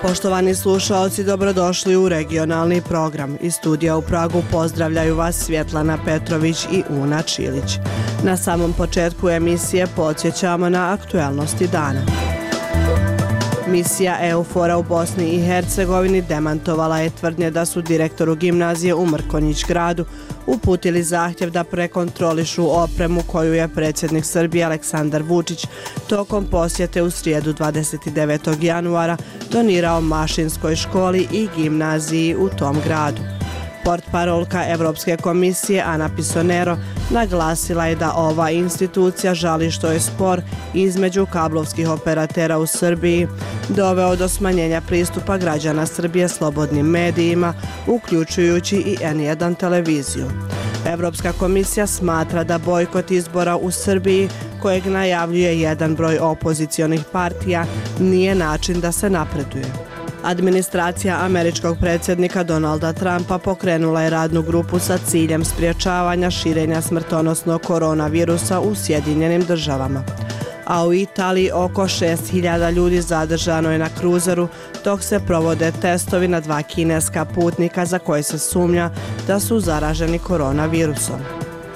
Poštovani slušaoci, dobrodošli u regionalni program. Iz studija u Pragu pozdravljaju vas Svjetlana Petrović i Una Čilić. Na samom početku emisije podsjećamo na aktuelnosti dana. Misija EUFOR-a u Bosni i Hercegovini demantovala je tvrdnje da su direktoru gimnazije u Mrkonjić Gradu uputili zahtjev da prekontrolišu opremu koju je predsjednik Srbije Aleksandar Vučić tokom posjete u srijedu 29. januara donirao Mašinskoj školi i gimnaziji u tom gradu. Portparolka Evropske komisije Ana Pisonero naglasila je da ova institucija žali što je spor između kablovskih operatera u Srbiji doveo do smanjenja pristupa građana Srbije slobodnim medijima, uključujući i N1 televiziju. Evropska komisija smatra da bojkot izbora u Srbiji, kojeg najavljuje jedan broj opozicionih partija, nije način da se napreduje. Administracija američkog predsjednika Donalda Trumpa pokrenula je radnu grupu sa ciljem sprječavanja širenja smrtonosnog koronavirusa u Sjedinjenim državama. A u Italiji oko 6.000 ljudi zadržano je na kruzeru dok se provode testovi na 2 kineska putnika za koje se sumnja da su zaraženi koronavirusom.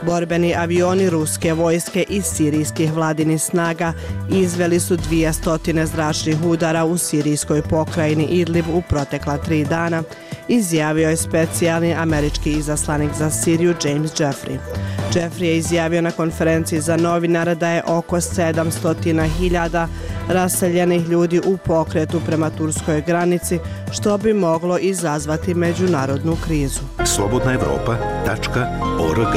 Borbeni avioni ruske vojske i sirijskih vladinih snaga izveli su 200 zračnih udara u sirijskoj pokrajini Idlib u protekla 3 dana, izjavio je specijalni američki izaslanik za Siriju James Jeffrey. Jeffrey je izjavio na konferenciji za novinare da je oko 700.000 raseljenih ljudi u pokretu prema turskoj granici, što bi moglo izazvati međunarodnu krizu. slobodnaevropa.org.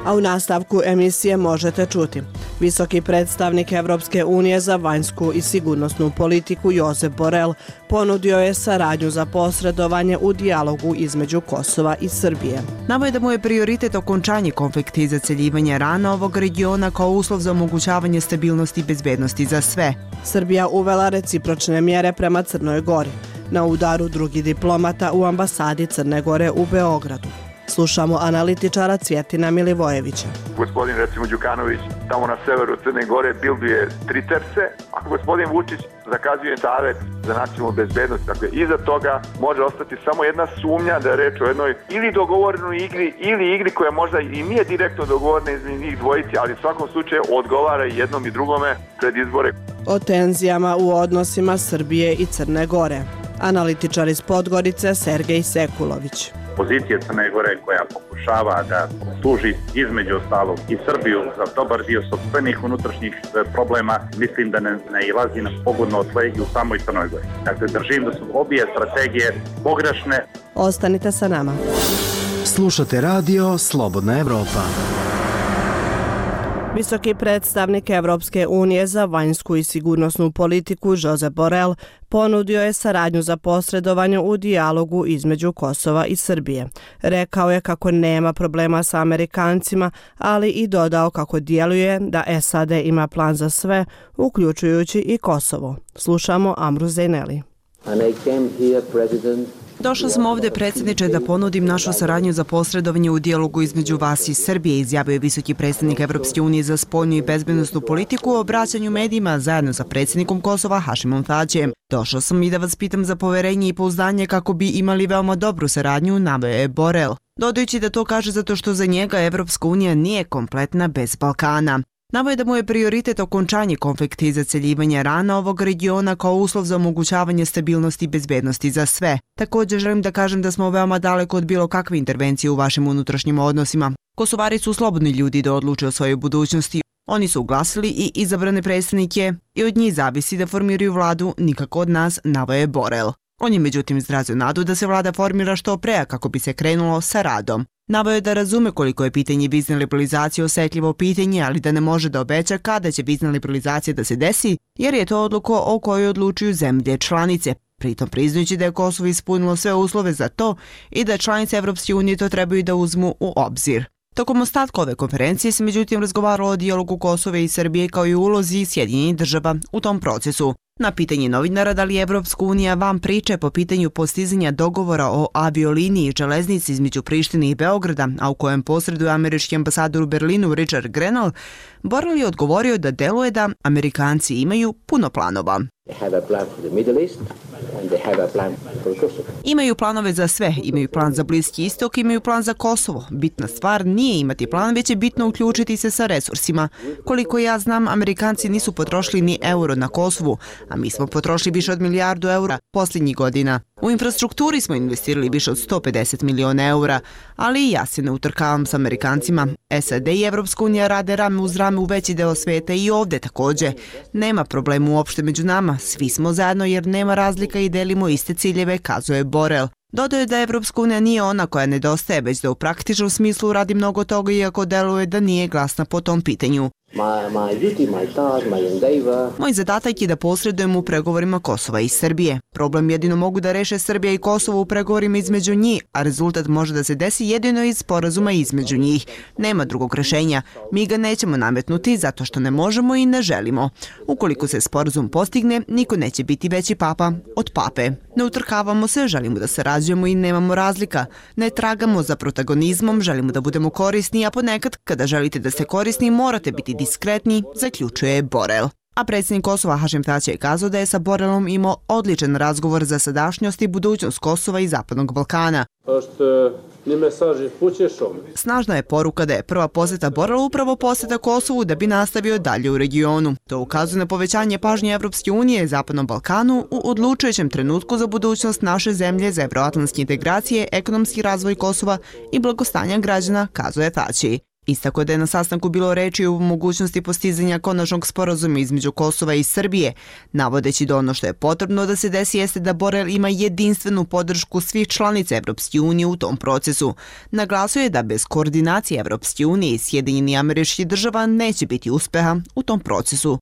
A u nastavku emisije možete čuti. Visoki predstavnik Evropske unije za vanjsku i sigurnosnu politiku Josep Borrell ponudio je saradnju za posredovanje u dijalogu između Kosova i Srbije. Naveo je da mu je prioritet okončanje konflikta i zaceljivanje rana ovog regiona kao uslov za omogućavanje stabilnosti i bezbednosti za sve. Srbija uvela recipročne mjere prema Crnoj Gori. Na udaru drugi diplomata u ambasadi Crne Gore u Beogradu. Slušamo analitičara Cvjetina Milivojevića. Gospodin recimo Đukanović tamo na severu Crne Gore bilduje tricepse, a gospodin Vučić zakazuje Savet za nacionalnu bezbednost. Dakle, iza toga može ostati samo jedna sumnja da je reč o jednoj ili dogovorenoj igri ili igri koja možda i nije direktno dogovorena između njih dvojici, ali u svakom slučaju odgovara i jednom i drugome pred izbore. O tenzijama u odnosima Srbije i Crne Gore. Analitičar iz Podgorice Sergej Sekulović. Pozicija Crne Gore koja pokušava da služi između ostalog i Srbiju za dobar dio sopstvenih unutrašnjih problema, mislim da ne ilazi na pogodno tle i u samoj Crnoj Gori. Dakle, držim da su obje strategije pogrešne. Ostanite sa nama. Slušate radio Slobodna Evropa. Visoki predstavnik Evropske unije za vanjsku i sigurnosnu politiku Josep Borrell ponudio je saradnju za posredovanje u dijalogu između Kosova i Srbije. Rekao je kako nema problema sa Amerikancima, ali i dodao kako djeluje da SAD ima plan za sve, uključujući i Kosovo. Slušamo Amru Zejneli. Došao sam ovdje, predsjedniče, da ponudim našu saradnju za posredovanje u dijalogu između vas i Srbije, izjavio je visoki predstavnik Evropske unije za spoljnu i bezbednosnu politiku u obraćanju medijima zajedno sa predsjednikom Kosova Hašimom Tačijem. Došao sam i da vas pitam za poverenje i pouzdanje kako bi imali veoma dobru saradnju, naveo je Borrell. Dodajući da to kaže zato što za njega Evropska unija nije kompletna bez Balkana. Naveo je da mu je prioritet okončanje konflikta i zaceljivanje rana ovog regiona kao uslov za omogućavanje stabilnosti i bezbednosti za sve. Također želim da kažem da smo veoma daleko od bilo kakve intervencije u vašim unutrašnjim odnosima. Kosovari su slobodni ljudi da odluče o svojoj budućnosti. Oni su uglasili i izabrane predstavnike i od njih zavisi da formiraju vladu, nikako od nas, naveo je Borrell. On je međutim izrazio nadu da se vlada formira što pre kako bi se krenulo sa radom. Naveo je da razume koliko je pitanje vizne liberalizacije osetljivo pitanje, ali da ne može da obeća kada će vizna liberalizacija da se desi, jer je to odluka o kojoj odlučuju zemlje članice. Pritom priznajući da je Kosovo ispunilo sve uslove za to i da članice Evropske unije to trebaju da uzmu u obzir. Tokom ostatka ove konferencije se međutim razgovaralo o dijalogu Kosova i Srbije kao i ulozi Sjedinjenih država u tom procesu. Na pitanje novinara da li je Evropska unija van priče po pitanju postizanja dogovora o avioliniji i železnici između Prištine i Beograda, a u kojem posreduje američki ambasador u Berlinu Richard Grenell, Borrell je odgovorio da deluje da Amerikanci imaju puno planova. Imaju planove za sve, imaju plan za Bliski istok, imaju plan za Kosovo. Bitna stvar nije imati plan, već je bitno uključiti se sa resursima. Koliko ja znam, Amerikanci nisu potrošili ni euro na Kosovu, a mi smo potrošili više od milijardu eura posljednjih godina. U infrastrukturi smo investirali više od 150 miliona eura, ali i ja se ne utrkavam s Amerikancima. SAD i Evropska unija rade rame uz rame u veći deo sveta i ovdje također. Nema problema uopšte među nama, svi smo zajedno jer nema razlika i delimo iste ciljeve, kazuje Borel. Dodao je da Evropska unija nije ona koja nedostaje, već da u praktičnom smislu radi mnogo toga iako deluje da nije glasna po tom pitanju. Moj zadatak je da posredujem u pregovorima Kosova i Srbije. Problem jedino mogu da reše Srbija i Kosovo u pregovorima između njih, a rezultat može da se desi jedino iz sporazuma između njih. Nema drugog rešenja. Mi ga nećemo nametnuti zato što ne možemo i ne želimo. Ukoliko se sporazum postigne, niko neće biti veći papa od pape. Ne utrkavamo se, želimo da sarađujemo i nemamo razlika. Ne tragamo za protagonizmom, želimo da budemo korisni, a ponekad kada želite da ste korisni morate biti diskretni, zaključuje Borel. A predsjednik Kosova Hašim Tači je kazao da je sa Borelom imao odličan razgovor za sadašnjost i budućnost Kosova i Zapadnog Balkana. Snažna je poruka da je prva posjeta Borela upravo posjeta Kosovu da bi nastavio dalje u regionu. To ukazuje na povećanje pažnje Evropske unije i Zapadnom Balkanu u odlučujućem trenutku za budućnost naše zemlje, za evroatlantske integracije, ekonomski razvoj Kosova i blagostanja građana, kazuje Tači. Istako da je na sastanku bilo reči o mogućnosti postizanja konačnog sporazuma između Kosova i Srbije, navodeći da ono što je potrebno da se desi jeste da Borel ima jedinstvenu podršku svih članica Evropske unije u tom procesu. Naglasio je da bez koordinacije Evropske unije i Sjedinjenih Američkih Država neće biti uspeha u tom procesu.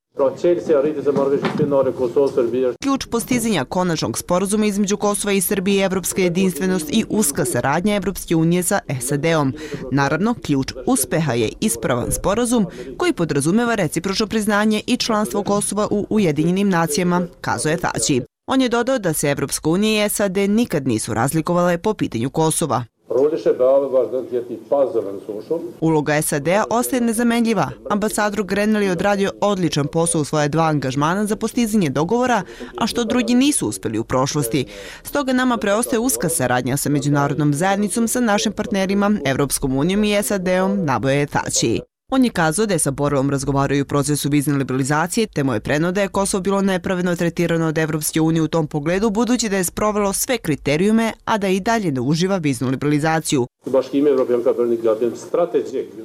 Ključ postizanja konačnog sporazuma između Kosova i Srbije je evropska jedinstvenost i uska saradnja Evropske unije sa SAD-om. Naravno, ključ uspeha je ispravan sporazum koji podrazumeva recipročno priznanje i članstvo Kosova u Ujedinjenim nacijama, kazuje Tači. On je dodao da se Evropska unija i SAD nikad nisu razlikovale po pitanju Kosova. Uloga SAD-a ostaje nezamenljiva. Ambasador Grenell je odradio odličan posao u svoje 2 angažmana za postizanje dogovora, a što drugi nisu uspeli u prošlosti. Stoga nama preostaje uska saradnja sa međunarodnom zajednicom, sa našim partnerima, Evropskom unijom i SAD-om, naboje Tači. On je kazao da je sa Borelom razgovaraju u procesu vizne liberalizacije, te mu je preneo da je Kosovo bilo nepravedno tretirano od Evropske unije u tom pogledu, budući da je sprovelo sve kriterijume, a da i dalje ne uživa viznu liberalizaciju.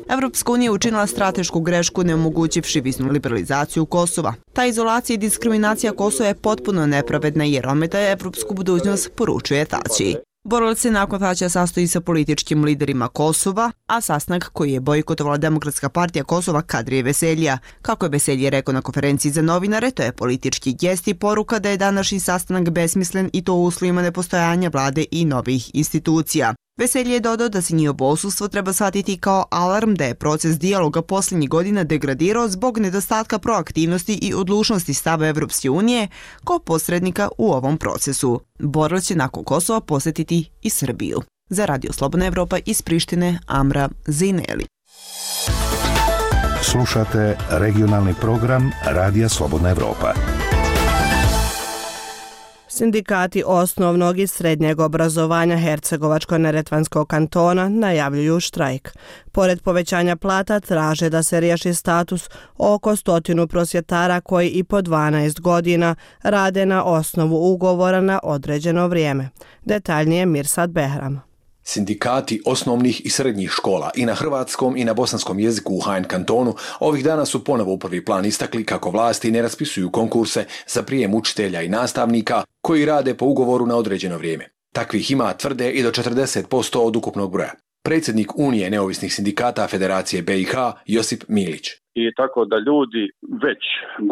Evropska unija je učinila stratešku grešku neomogućivši viznu liberalizaciju Kosova. Ta izolacija i diskriminacija Kosova je potpuno nepravedna jer ometa evropsku budućnost, poručuje Tači. Borel se nakon Tačija sastoji sa političkim liderima Kosova, a sastanak koji je bojkotovala Demokratska partija Kosova Kadrije Veselija. Kako je Veselje rekao na konferenciji za novinare, to je politički gest i poruka da je današnji sastanak besmislen i to u uslovima nepostojanja vlade i novih institucija. Veselje je dodao da se njihovo odsustvo treba shvatiti kao alarm da je proces dijaloga posljednjih godina degradirao zbog nedostatka proaktivnosti i odlučnosti stava Evropske unije kao posrednika u ovom procesu. Borel će nakon Kosova posjetiti i Srbiju. Za Radio Slobodna Evropa iz Prištine, Amra Zineli. Slušate regionalni program Radija Slobodna Evropa. Sindikati osnovnog i srednjeg obrazovanja Hercegovačko-neretvanskog kantona najavljuju štrajk. Pored povećanja plata traže da se riješi status oko 100 prosvjetara koji i po 12 godina rade na osnovu ugovora na određeno vrijeme. Detaljnije Mirsad Behram. Sindikati osnovnih i srednjih škola i na hrvatskom i na bosanskom jeziku u HN kantonu ovih dana su ponovo u prvi plan istakli kako vlasti ne raspisuju konkurse za prijem učitelja i nastavnika koji rade po ugovoru na određeno vrijeme. Takvih ima, tvrde, i do 40% od ukupnog broja. Predsjednik Unije neovisnih sindikata Federacije BiH Josip Milić. I tako da ljudi već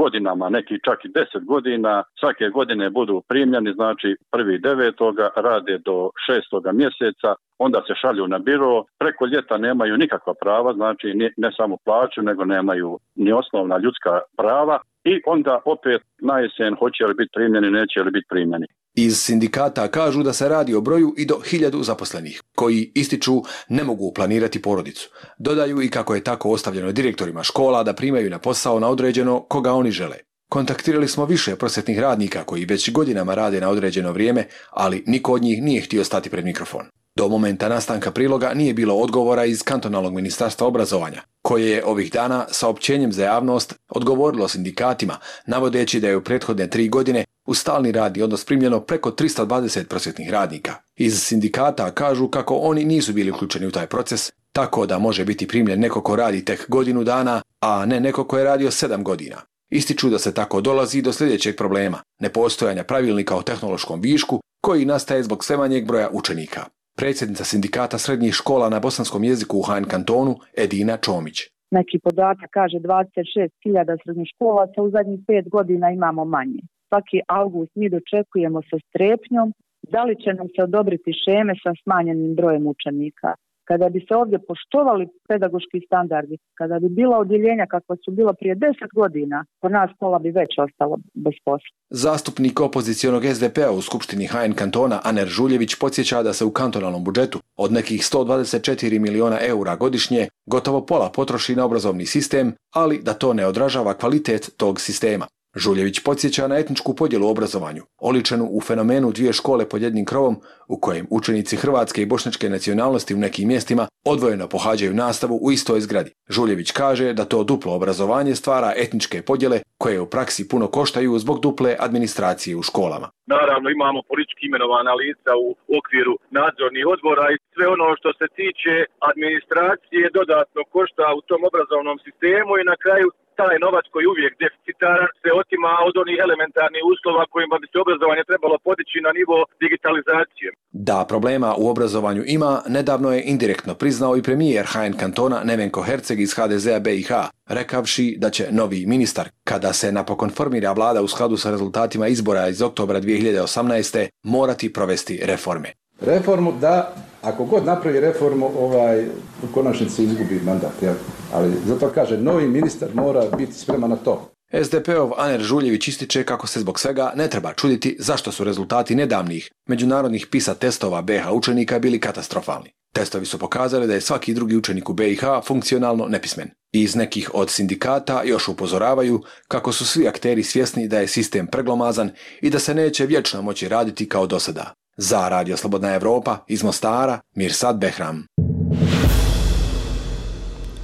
godinama, neki čak i 10 godina, svake godine budu primljeni, znači 1.9. rade do 6. mjeseca, onda se šalju na biro, preko ljeta nemaju nikakva prava, znači ne samo plaću, nego nemaju ni osnovna ljudska prava i onda opet na jesen hoće li biti primljeni, neće li biti primljeni. Iz sindikata kažu da se radi o broju i do 1000 zaposlenih, koji ističu ne mogu planirati porodicu. Dodaju i kako je tako ostavljeno direktorima škola da primaju na posao na određeno koga oni žele. Kontaktirali smo više prosvjetnih radnika koji već godinama rade na određeno vrijeme, ali niko od njih nije htio stati pred mikrofon. Do momenta nastanka priloga nije bilo odgovora iz kantonalnog ministarstva obrazovanja, koje je ovih dana saopćenjem za javnost odgovorilo sindikatima, navodeći da je u prethodne 3 godine u stalni radni odnos primljeno preko 320 prosvjetnih radnika. Iz sindikata kažu kako oni nisu bili uključeni u taj proces, tako da može biti primljen neko ko radi tek godinu dana, a ne neko ko je radio 7 godina. Ističu da se tako dolazi do sljedećeg problema, nepostojanja pravilnika o tehnološkom višku koji nastaje zbog sve manjeg broja učenika. Predsjednica sindikata srednjih škola na bosanskom jeziku u Hain kantonu Edina Čomić. Neki podatak kaže 26.000 srednjoškolaca, u zadnjih 5 godina imamo manje. Svaki avgust mi dočekujemo sa strepnjom da li će nam se odobriti šeme sa smanjenim brojem učenika. Kada bi se ovdje poštovali pedagoški standardi, kada bi bila odjeljenja kakva su bila prije 10 godina, po nas pola bi već ostalo bez posla. Zastupnik opozicionog SDP-a u Skupštini Hain kantona Aner Žuljević podsjeća da se u kantonalnom budžetu od nekih 124 miliona eura godišnje gotovo pola potroši na obrazovni sistem, ali da to ne odražava kvalitet tog sistema. Žuljević podsjeća na etničku podjelu u obrazovanju, oličenu u fenomenu 2 škole pod jednim krovom, u kojem učenici hrvatske i bošnjačke nacionalnosti u nekim mjestima odvojeno pohađaju nastavu u istoj zgradi. Žuljević kaže da to duplo obrazovanje stvara etničke podjele koje u praksi puno koštaju zbog duple administracije u školama. Naravno imamo politički imenovana lica u okviru nadzornih odbora i sve ono što se tiče administracije dodatno košta u tom obrazovnom sistemu i na kraju taj novac koji je uvijek deficitaran se otima od onih elementarnih uslova kojima bi se obrazovanje trebalo podići na nivo digitalizacije. Da problema u obrazovanju ima, nedavno je indirektno priznao i premijer Hain kantona Nevenko Herceg iz HDZ-a BiH, rekavši da će novi ministar, kada se napokon formira vlada u skladu sa rezultatima izbora iz oktobra 2018. morati provesti reforme. Reformu da, ako god napravi reformu, u konačnici izgubi mandat, ali zato kaže, novi ministar mora biti spreman na to. SDP-ov Aner Žuljević ističe kako se zbog svega ne treba čuditi zašto su rezultati nedavnih međunarodnih PISA testova BiH učenika bili katastrofalni. Testovi su pokazali da je svaki drugi učenik u BiH funkcionalno nepismen. Iz nekih od sindikata još upozoravaju kako su svi akteri svjesni da je sistem preglomazan i da se neće vječno moći raditi kao do sada. Za Radio Slobodna Evropa iz Mostara, Mirsad Behram.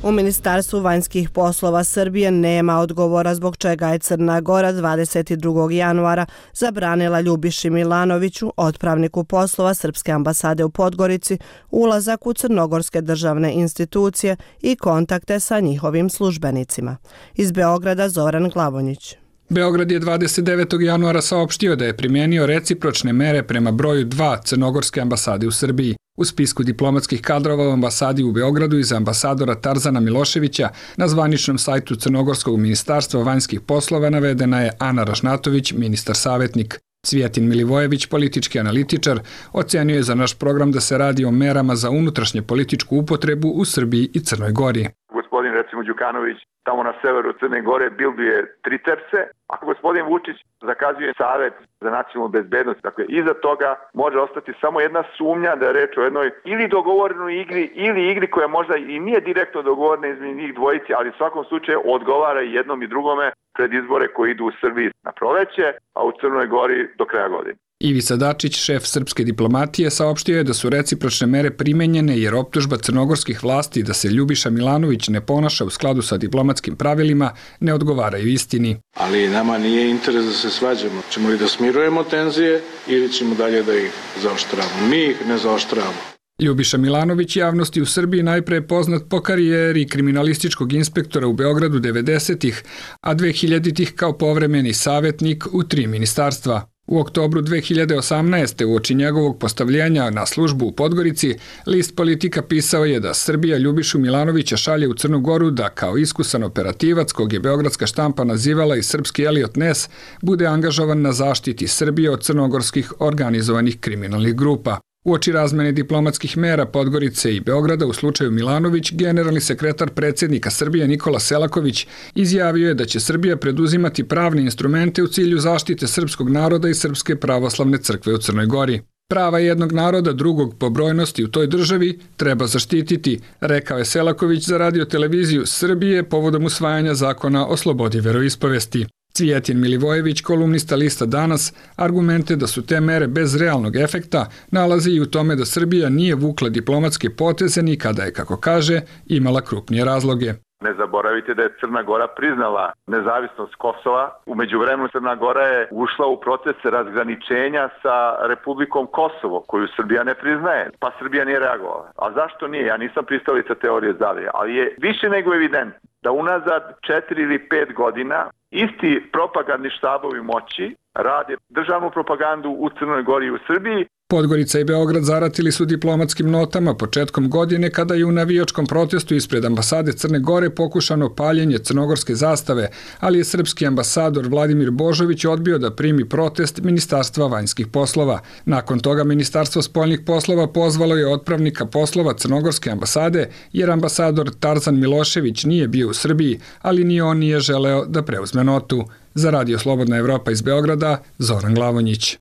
U Ministarstvu vanjskih poslova Srbije nema odgovora zbog čega je Crna Gora 22. januara zabranila Ljubiši Milanoviću, otpravniku poslova Srpske ambasade u Podgorici, ulazak u crnogorske državne institucije i kontakte sa njihovim službenicima. Iz Beograda Zoran Glavonjić. Beograd je 29. januara saopštio da je primijenio recipročne mere prema broju 2 crnogorske ambasade u Srbiji. U spisku diplomatskih kadrova u ambasadi u Beogradu iza ambasadora Tarzana Miloševića na zvaničnom sajtu Crnogorskog ministarstva vanjskih poslova navedena je Ana Rašnatović, ministar savjetnik. Cvijetin Milivojević, politički analitičar, ocenio je za naš program da se radi o merama za unutrašnje političku upotrebu u Srbiji i Crnoj Gori. Gospodin recimo Đukanović tamo na severu Crne Gore bilduje tricerce, a gospodin Vučić zakazuje Savet za nacionalnu bezbednost. Dakle, iza toga može ostati samo jedna sumnja da je reč o jednoj ili dogovorenoj igri ili igri koja možda i nije direktno dogovorena između njih dvojici, ali u svakom slučaju odgovara i jednom i drugome pred izbore koji idu u Srbiji na proleće, a u Crnoj Gori do kraja godine. Ivica Dačić, šef srpske diplomatije, saopštio je da su recipročne mere primenjene jer optužba crnogorskih vlasti da se Ljubiša Milanović ne ponaša u skladu sa diplomatskim pravilima ne odgovaraju istini. Ali nama nije interes da se svađamo. Ćemo li da smirujemo tenzije ili ćemo dalje da ih zaoštravamo? Mi ih ne zaoštravamo. Ljubiša Milanović javnosti u Srbiji najpre je poznat po karijeri kriminalističkog inspektora u Beogradu 90-ih, a 2000-ih kao povremeni savjetnik u 3 ministarstva. U oktobru 2018. uoči njegovog postavljenja na službu u Podgorici, list Politika pisao je da Srbija Ljubišu Milanovića šalje u Crnu Goru da kao iskusan operativac, kog je beogradska štampa nazivala i srpski Elliot Ness, bude angažovan na zaštiti Srbije od crnogorskih organizovanih kriminalnih grupa. Uoči razmene diplomatskih mera Podgorice i Beograda u slučaju Milanović, generalni sekretar predsjednika Srbije Nikola Selaković izjavio je da će Srbija preduzimati pravne instrumente u cilju zaštite srpskog naroda i Srpske pravoslavne crkve u Crnoj Gori. Prava jednog naroda drugog po brojnosti u toj državi treba zaštititi, rekao je Selaković za radio televiziju Srbije povodom usvajanja zakona o slobodi veroispovesti. Cvijetin Milivojević, kolumnista lista Danas, argumente da su te mere bez realnog efekta nalazi i u tome da Srbija nije vukla diplomatske poteze ni kada je, kako kaže, imala krupnije razloge. Ne zaboravite da je Crna Gora priznala nezavisnost Kosova. U međuvremenu Crna Gora je ušla u proces razgraničenja sa Republikom Kosovo, koju Srbija ne priznaje, pa Srbija nije reagovala. A zašto nije? Ja nisam pristalica teorije zavije, ali je više nego evidentno da unazad 4 ili 5 godina isti propagandni štabovi moći rade državnu propagandu u Crnoj Gori i u Srbiji. Podgorica i Beograd zaratili su diplomatskim notama početkom godine kada je u navijačkom protestu ispred ambasade Crne Gore pokušano paljenje crnogorske zastave, ali je srpski ambasador Vladimir Božović odbio da primi protest Ministarstva vanjskih poslova. Nakon toga Ministarstvo spoljnih poslova pozvalo je otpravnika poslova crnogorske ambasade jer ambasador Tarzan Milošević nije bio u Srbiji, ali ni on nije želeo da preuzme notu. Za Radio Slobodna Evropa iz Beograda, Zoran Glavonjić.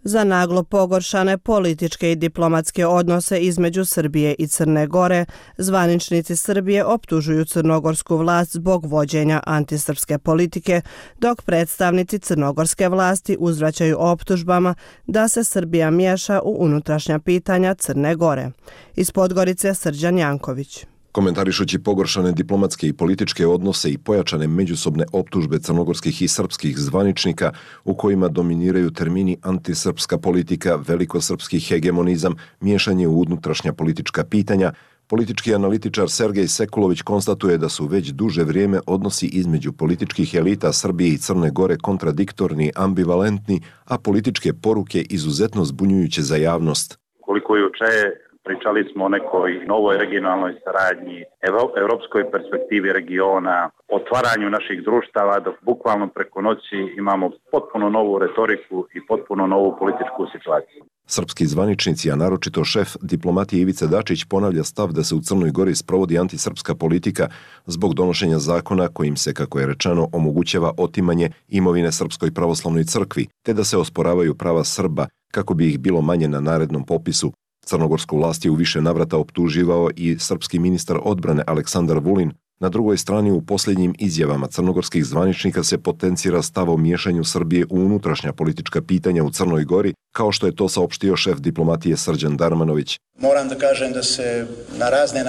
Za naglo pogoršane političke i diplomatske odnose između Srbije i Crne Gore, zvaničnici Srbije optužuju crnogorsku vlast zbog vođenja antisrpske politike, dok predstavnici crnogorske vlasti uzvraćaju optužbama da se Srbija miješa u unutrašnja pitanja Crne Gore. Iz Podgorice Srđan Janković. Komentarišući pogoršane diplomatske i političke odnose i pojačane međusobne optužbe crnogorskih i srpskih zvaničnika u kojima dominiraju termini antisrpska politika, velikosrpski hegemonizam, miješanje u unutrašnja politička pitanja, politički analitičar Sergej Sekulović konstatuje da su već duže vrijeme odnosi između političkih elita Srbije i Crne Gore kontradiktorni, ambivalentni, a političke poruke izuzetno zbunjujuće za javnost. Koliko juče pričali smo o nekoj novoj regionalnoj saradnji, evropskoj perspektivi regiona, otvaranju naših društava, dok bukvalno preko noći imamo potpuno novu retoriku i potpuno novu političku situaciju. Srpski zvaničnici, a naročito šef diplomatije Ivica Dačić, ponavlja stav da se u Crnoj Gori sprovodi antisrpska politika zbog donošenja zakona kojim se, kako je rečeno, omogućava otimanje imovine Srpskoj pravoslavnoj crkvi, te da se osporavaju prava Srba kako bi ih bilo manje na narednom popisu. Crnogorsku vlast je u više navrata optuživao i srpski ministar odbrane Aleksandar Vulin. Na drugoj strani u posljednjim izjavama crnogorskih zvaničnika se potencira stav o miješanju Srbije u unutrašnja politička pitanja u Crnoj Gori, kao što je to saopštio šef diplomatije Srđan Darmanović. Moram da kažem da se na razne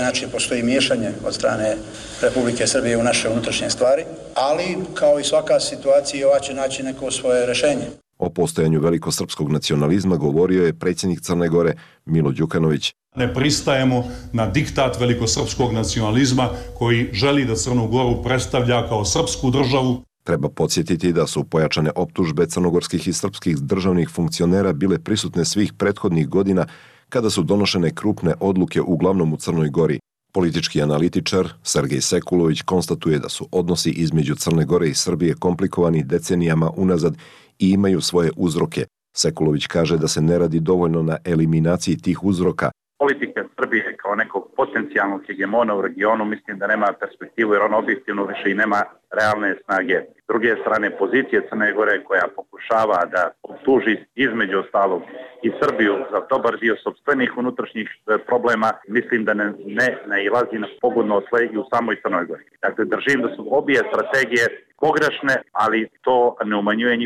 načine postoji miješanje od strane Republike Srbije u naše unutrašnje stvari, ali kao i svaka situacija ova će naći neko svoje rješenje. O postojanju velikosrpskog nacionalizma govorio je predsjednik Crne Gore Milo Đukanović. Ne pristajemo na diktat velikosrpskog nacionalizma koji želi da Crnu Goru predstavlja kao srpsku državu. Treba podsjetiti da su pojačane optužbe crnogorskih i srpskih državnih funkcionera bile prisutne svih prethodnih godina kada su donošene krupne odluke uglavnom u Crnoj Gori. Politički analitičar Sergej Sekulović konstatuje da su odnosi između Crne Gore i Srbije komplikovani decenijama unazad i imaju svoje uzroke. Sekulović kaže da se ne radi dovoljno na eliminaciji tih uzroka. Politika Srbije kao nekog potencijalnog hegemona u regionu mislim da nema perspektivu jer on objektivno više i nema realne snage. S druge strane, pozicije Crne Gore koja pokušava da optuži između ostalog i Srbiju za dobar dio sopstvenih unutrašnjih problema, mislim da ne nailazi na pogodno tle i u samoj Crnoj Gori. Dakle, držim da su obje strategije pogrešne, ali to ne umanjuje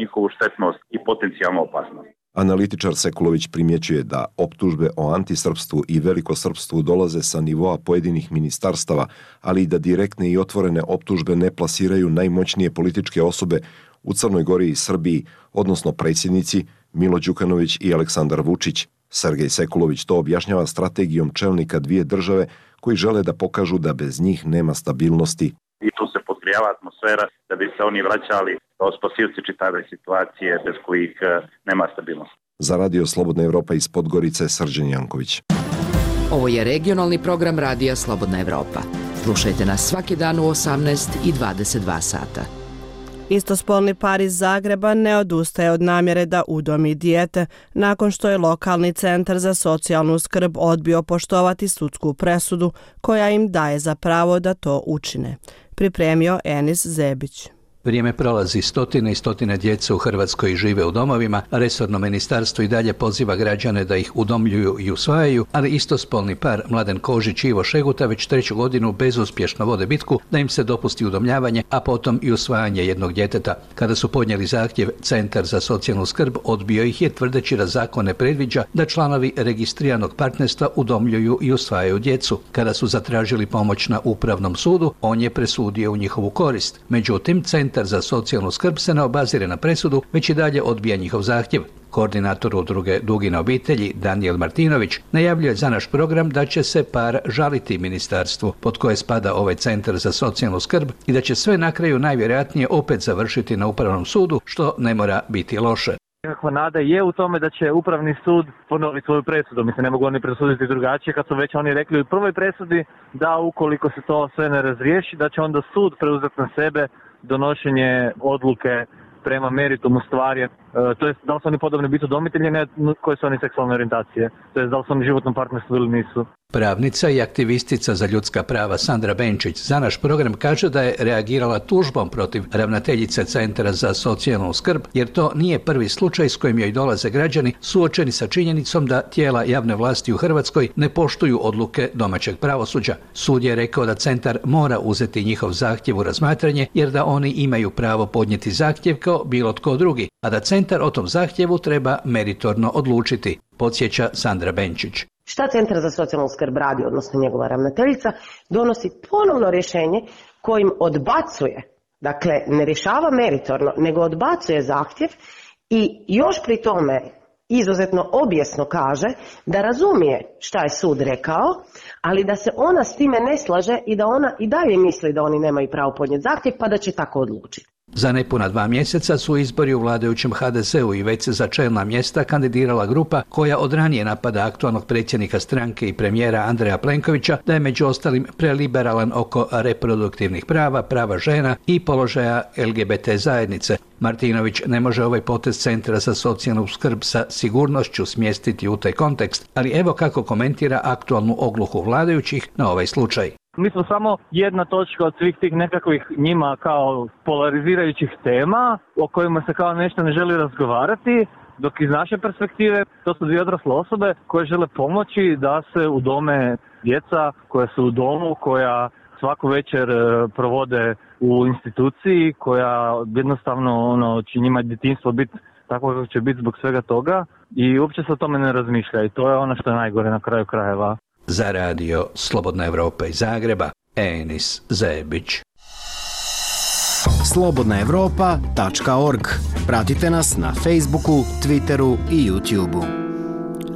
njihovu štetnost i potencijalnu opasnost. Analitičar Sekulović primjećuje da optužbe o antisrpstvu i velikosrpstvu dolaze sa nivoa pojedinih ministarstava, ali i da direktne i otvorene optužbe ne plasiraju najmoćnije političke osobe u Crnoj Gori i Srbiji, odnosno predsjednici Milo Đukanović i Aleksandar Vučić. Sergej Sekulović to objašnjava strategijom čelnika dvije države koji žele da pokažu da bez njih nema stabilnosti. I tu se podgrijava atmosfera da bi se oni vraćali kao spasivci čitave situacije bez kojih nema stabilnosti. Za Radio Slobodna Evropa iz Podgorice, Srđan Janković. Ovo je regionalni program Radija Slobodna Evropa. Slušajte nas svaki dan u 18 i 22 sata. Istospolni par iz Zagreba ne odustaje od namjere da udomi dijete nakon što je lokalni centar za socijalnu skrb odbio poštovati sudsku presudu koja im daje za pravo da to učine. Pripremio Enis Zebić. Vrijeme prolazi, stotine i stotine djece u Hrvatskoj žive u domovima, a resorno ministarstvo i dalje poziva građane da ih udomljuju i usvajaju, ali istospolni par Mladen Kožić i Ivo Šeguta već 3. godinu bezuspješno vode bitku da im se dopusti udomljavanje, a potom i usvajanje jednog djeteta. Kada su podnijeli zahtjev, Centar za socijalnu skrb odbio ih je tvrdeći da zakon ne predviđa da članovi registriranog partnerstva udomljuju i usvajaju djecu. Kada su zatražili pomoć na Upravnom sudu, on je presudio u njihovu korist. Međutim, Centar za socijalnu skrb se ne obazire na presudu, već i dalje odbija njihov zahtjev. Koordinator udruge Dugine obitelji Danijel Martinović najavljuje za naš program da će se par žaliti ministarstvu pod koje spada ovaj Centar za socijalnu skrb i da će sve na kraju najvjerojatnije opet završiti na Upravnom sudu, što ne mora biti loše. Nekakva nada je u tome da će Upravni sud ponoviti svoju presudu. Mislim, ne mogu oni presuditi drugačije kad su već oni rekli u prvoj presudi da ukoliko se to sve ne razriješi, da će onda sud preuzeti na sebe donošenje odluke prema meritumu stvari, to jest da li su oni podobni biti udomitelji, ne koje su oni seksualne orijentacije, to jest da li su oni životnom partnerstvu ili nisu. Pravnica i aktivistica za ljudska prava Sandra Benčić za naš program kaže da je reagirala tužbom protiv ravnateljice Centra za socijalnu skrb, jer to nije prvi slučaj s kojim joj dolaze građani suočeni sa činjenicom da tijela javne vlasti u Hrvatskoj ne poštuju odluke domaćeg pravosuđa. Sud je rekao da centar mora uzeti njihov zahtjev u razmatranje, jer da oni imaju pravo podnijeti zahtjev kao bilo tko drugi, a da centar o tom zahtjevu treba meritorno odlučiti, podsjeća Sandra Benčić. Šta Centar za socijalnu skrb radi, odnosno njegova ravnateljica, donosi ponovno rješenje kojim odbacuje, dakle ne rješava meritorno, nego odbacuje zahtjev i još pri tome izuzetno objesno kaže da razumije šta je sud rekao, ali da se ona s time ne slaže i da ona i dalje misli da oni nemaju pravo podnijeti zahtjev pa da će tako odlučiti. Za nepuna 2 mjeseca su izbori u vladajućem HDZ-u i već se za čelna mjesta kandidirala grupa koja od ranije napada aktualnog predsjednika stranke i premijera Andreja Plenkovića da je među ostalim preliberalan oko reproduktivnih prava, prava žena i položaja LGBT zajednice. Martinović ne može ovaj potez Centra za socijalnu skrb sa sigurnošću smjestiti u taj kontekst, ali evo kako komentira aktualnu ogluhu vladajućih na ovaj slučaj. Mi smo samo jedna točka od svih tih nekakvih njima kao polarizirajućih tema o kojima se kao nešto ne želi razgovarati, dok iz naše perspektive to su 2 odrasle osobe koje žele pomoći da se udome djeca koja su u domu, koja svaku večer provode u instituciji, koja jednostavno će njima djetinjstvo biti tako kako će biti zbog svega toga i uopće se o tome ne razmišlja i to je ono što je najgore na kraju krajeva. Za radio Slobodna Evropa iz Zagreba, Enis Zebić. slobodnaevropa.org. Pratite nas na Facebooku, Twitteru i YouTubeu.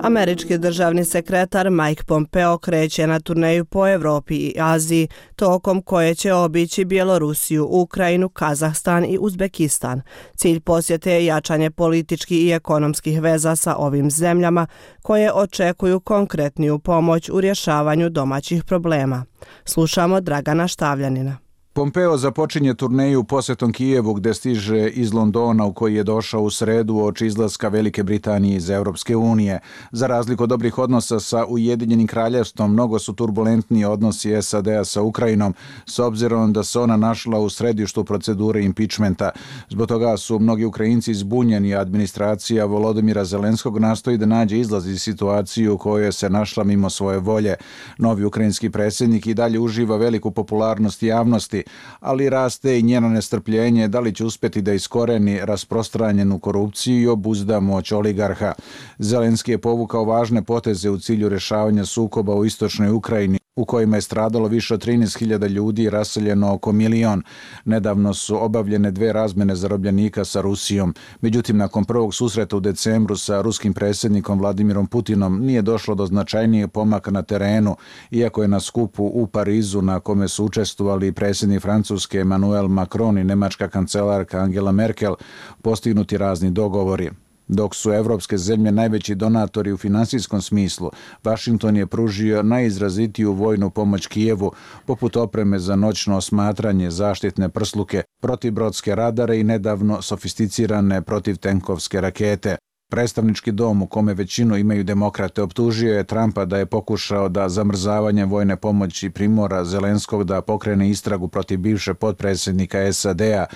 Američki državni sekretar Mike Pompeo kreće na turneju po Evropi i Aziji, tokom koje će obići Bjelorusiju, Ukrajinu, Kazahstan i Uzbekistan. Cilj posjete je jačanje političkih i ekonomskih veza sa ovim zemljama koje očekuju konkretniju pomoć u rješavanju domaćih problema. Slušamo Dragana Štavljanina. Pompeo započinje turneju posjetom Kijevu gdje stiže iz Londona u koji je došao u sredu uoči izlaska Velike Britanije iz Europske unije. Za razliku od dobrih odnosa sa Ujedinjenim kraljevstvom, mnogo su turbulentniji odnosi SAD-a sa Ukrajinom, s obzirom da se ona našla u središtu procedure impičmenta. Zbog toga su mnogi Ukrajinci zbunjeni, a administracija Volodymyra Zelenskog nastoji da nađe izlaz iz situaciju u kojoj se našla mimo svoje volje. Novi ukrajinski predsjednik i dalje uživa veliku popularnost javnosti, ali raste i njeno nestrpljenje da li će uspjeti da iskoreni rasprostranjenu korupciju i obuzda moć oligarha. Zelenski je povukao važne poteze u cilju rješavanja sukoba u istočnoj Ukrajini, u kojima je stradalo više od 13.000 ljudi i raseljeno oko 1 milion. Nedavno su obavljene 2 razmjene zarobljenika sa Rusijom. Međutim, nakon prvog susreta u decembru sa ruskim predsjednikom Vladimirom Putinom nije došlo do značajnijeg pomaka na terenu, iako je na skupu u Parizu na kome su učestvovali predsjednik Francuske Emmanuel Macron i njemačka kancelarka Angela Merkel postignuti razni dogovori. Dok su evropske zemlje najveći donatori u finansijskom smislu, Washington je pružio najizrazitiju vojnu pomoć Kijevu, poput opreme za noćno osmatranje, zaštitne prsluke, protibrodske radare i nedavno sofisticirane protivtenkovske rakete. Predstavnički dom, u kome većinu imaju demokrate, optužio je Trumpa da je pokušao da zamrzavanjem vojne pomoći primora Zelenskog da pokrene istragu protiv bivše potpredsjednika SAD-a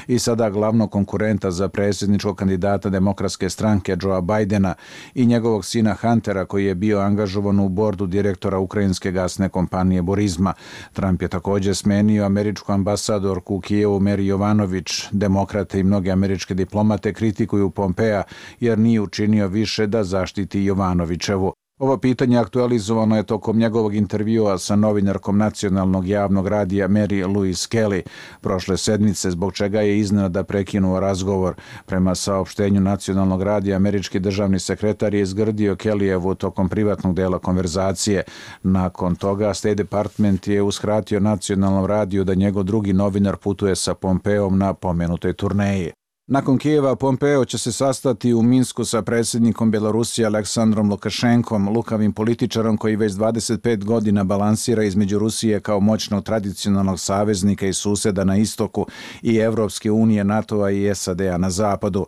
i sada glavnog konkurenta za predsjedničkog kandidata Demokratske stranke Joea Bidena i njegovog sina Huntera, koji je bio angažovan u bordu direktora ukrajinske gasne kompanije Burisma. Trump je također smenio američku ambasadorku u Kijevu Meri Jovanović. Demokrate i mnoge američke diplomate kritikuju Pompea jer nije učinio više da zaštiti Jovanovićevu. Ovo pitanje aktualizovano je tokom njegovog intervjua sa novinarkom nacionalnog javnog radija Mary Louise Kelly prošle sedmice, zbog čega je iznenada prekinuo razgovor. Prema saopštenju nacionalnog radija, američki državni sekretar je izgrdio Kellyjevu tokom privatnog dela konverzacije. Nakon toga State Department je uskratio nacionalnom radiju da njegov drugi novinar putuje sa Pompeom na pomenutoj turneji. Nakon Kijeva, Pompeo će se sastati u Minsku sa predsjednikom Belorusije Aleksandrom Lukašenkom, lukavim političarom koji već 25 godina balansira između Rusije kao moćnog tradicionalnog saveznika i suseda na istoku i Evropske unije, NATO-a i SAD-a na zapadu.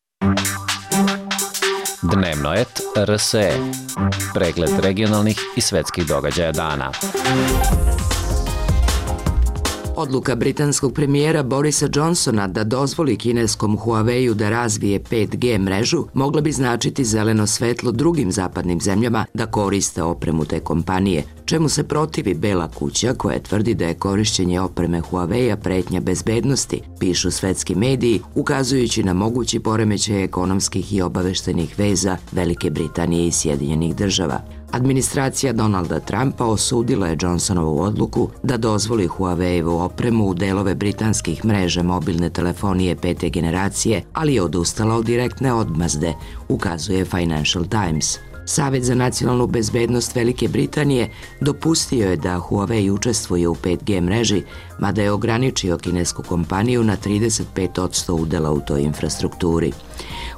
Dnevno et RSE. Pregled regionalnih i svetskih događaja dana. Odluka britanskog premijera Borisa Johnsona da dozvoli kineskom Huawei-u da razvije 5G mrežu mogla bi značiti zeleno svetlo drugim zapadnim zemljama da koriste opremu te kompanije, čemu se protivi Bela kuća koja tvrdi da je korišćenje opreme Huawei-a pretnja bezbednosti, pišu svetski mediji, ukazujući na mogući poremećaj ekonomskih i obaveštenih veza Velike Britanije i Sjedinjenih država. Administracija Donalda Trumpa osudila je Johnsonovu odluku da dozvoli Huawei-evu opremu u delove britanskih mreža mobilne telefonije 5. generacije, ali je odustala od direktne odmazde, ukazuje Financial Times. Savet za nacionalnu bezbednost Velike Britanije dopustio je da Huawei učestvuje u 5G mreži, mada je ograničio kinesku kompaniju na 35% udela u toj infrastrukturi.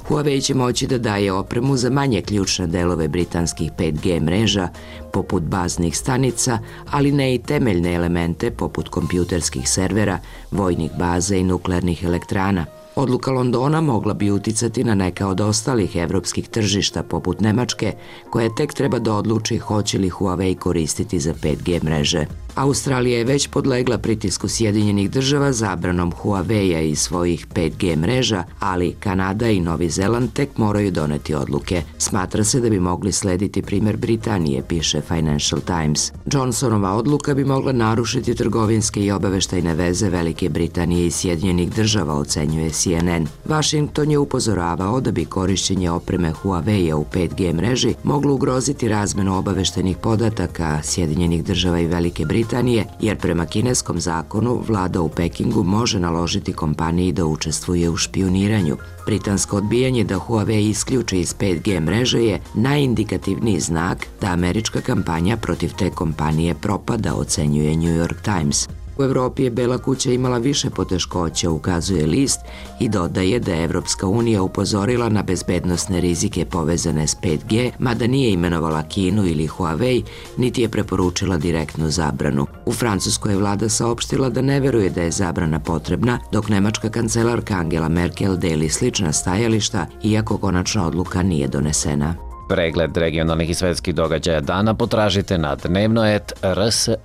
Huawei će moći da daje opremu za manje ključne delove britanskih 5G mreža, poput baznih stanica, ali ne i temeljne elemente poput kompjuterskih servera, vojnih baza i nuklearnih elektrana. Odluka Londona mogla bi uticati na neka od ostalih evropskih tržišta poput Nemačke, koja tek treba da odluči hoće li Huawei koristiti za 5G mreže. Australija je već podlegla pritisku Sjedinjenih država zabranom Huawei-a i svojih 5G mreža, ali Kanada i Novi Zeland tek moraju doneti odluke. Smatra se da bi mogli slediti primjer Britanije, piše Financial Times. Johnsonova odluka bi mogla narušiti trgovinske i obaveštajne veze Velike Britanije i Sjedinjenih država, ocenjuje CNN. Washington je upozoravao da bi korišćenje opreme Huawei-a u 5G mreži moglo ugroziti razmenu obaveštajnih podataka Sjedinjenih država i Velike Britanije, jer prema kineskom zakonu vlada u Pekingu može naložiti kompaniji da učestvuje u špijuniranju. Britansko odbijanje da Huawei isključi iz 5G mreže je najindikativniji znak da američka kampanja protiv te kompanije propada, ocenjuje New York Times. U Evropi je Bela kuća imala više poteškoća, ukazuje list, i dodaje da je Evropska unija upozorila na bezbednosne rizike povezane s 5G, mada nije imenovala Kinu ili Huawei, niti je preporučila direktnu zabranu. U Francuskoj je vlada saopštila da ne veruje da je zabrana potrebna, dok nemačka kancelarka Angela Merkel deli slična stajališta, iako konačna odluka nije donesena. Pregled regionalnih i svetskih događaja dana potražite na dnevnoet.rse,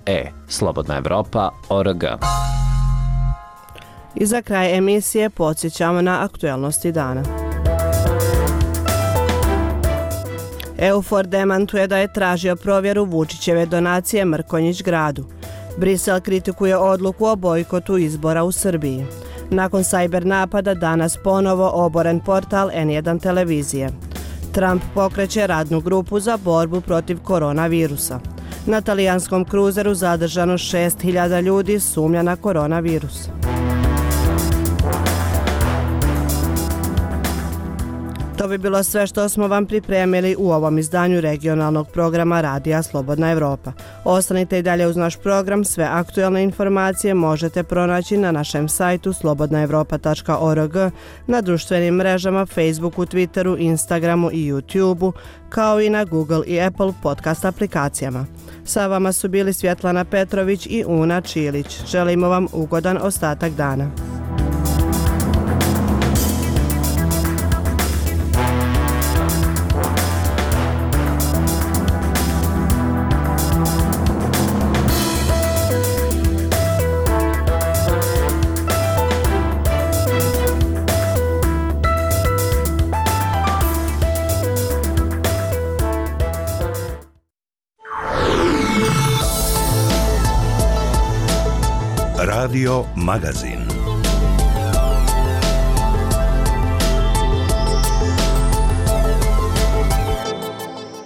slobodnaevropa.org. I za kraj emisije podsjećamo na aktuelnosti dana. EUFOR demantuje da je tražio provjeru Vučićeve donacije Mrkonjić gradu. Brisel kritikuje odluku o bojkotu izbora u Srbiji. Nakon sajber napada danas ponovo oboren portal N1 televizije. Trump pokreće radnu grupu za borbu protiv koronavirusa. Na talijanskom kruzeru zadržano 6.000 ljudi, sumnja na koronavirus. To bi bilo sve što smo vam pripremili u ovom izdanju regionalnog programa Radija Slobodna Evropa. Ostanite i dalje uz naš program, sve aktuelne informacije možete pronaći na našem sajtu slobodnaevropa.org, na društvenim mrežama Facebooku, Twitteru, Instagramu i YouTubeu, kao i na Google i Apple podcast aplikacijama. Sa vama su bili Svjetlana Petrović i Una Čilić. Želimo vam ugodan ostatak dana. Radio Magazin.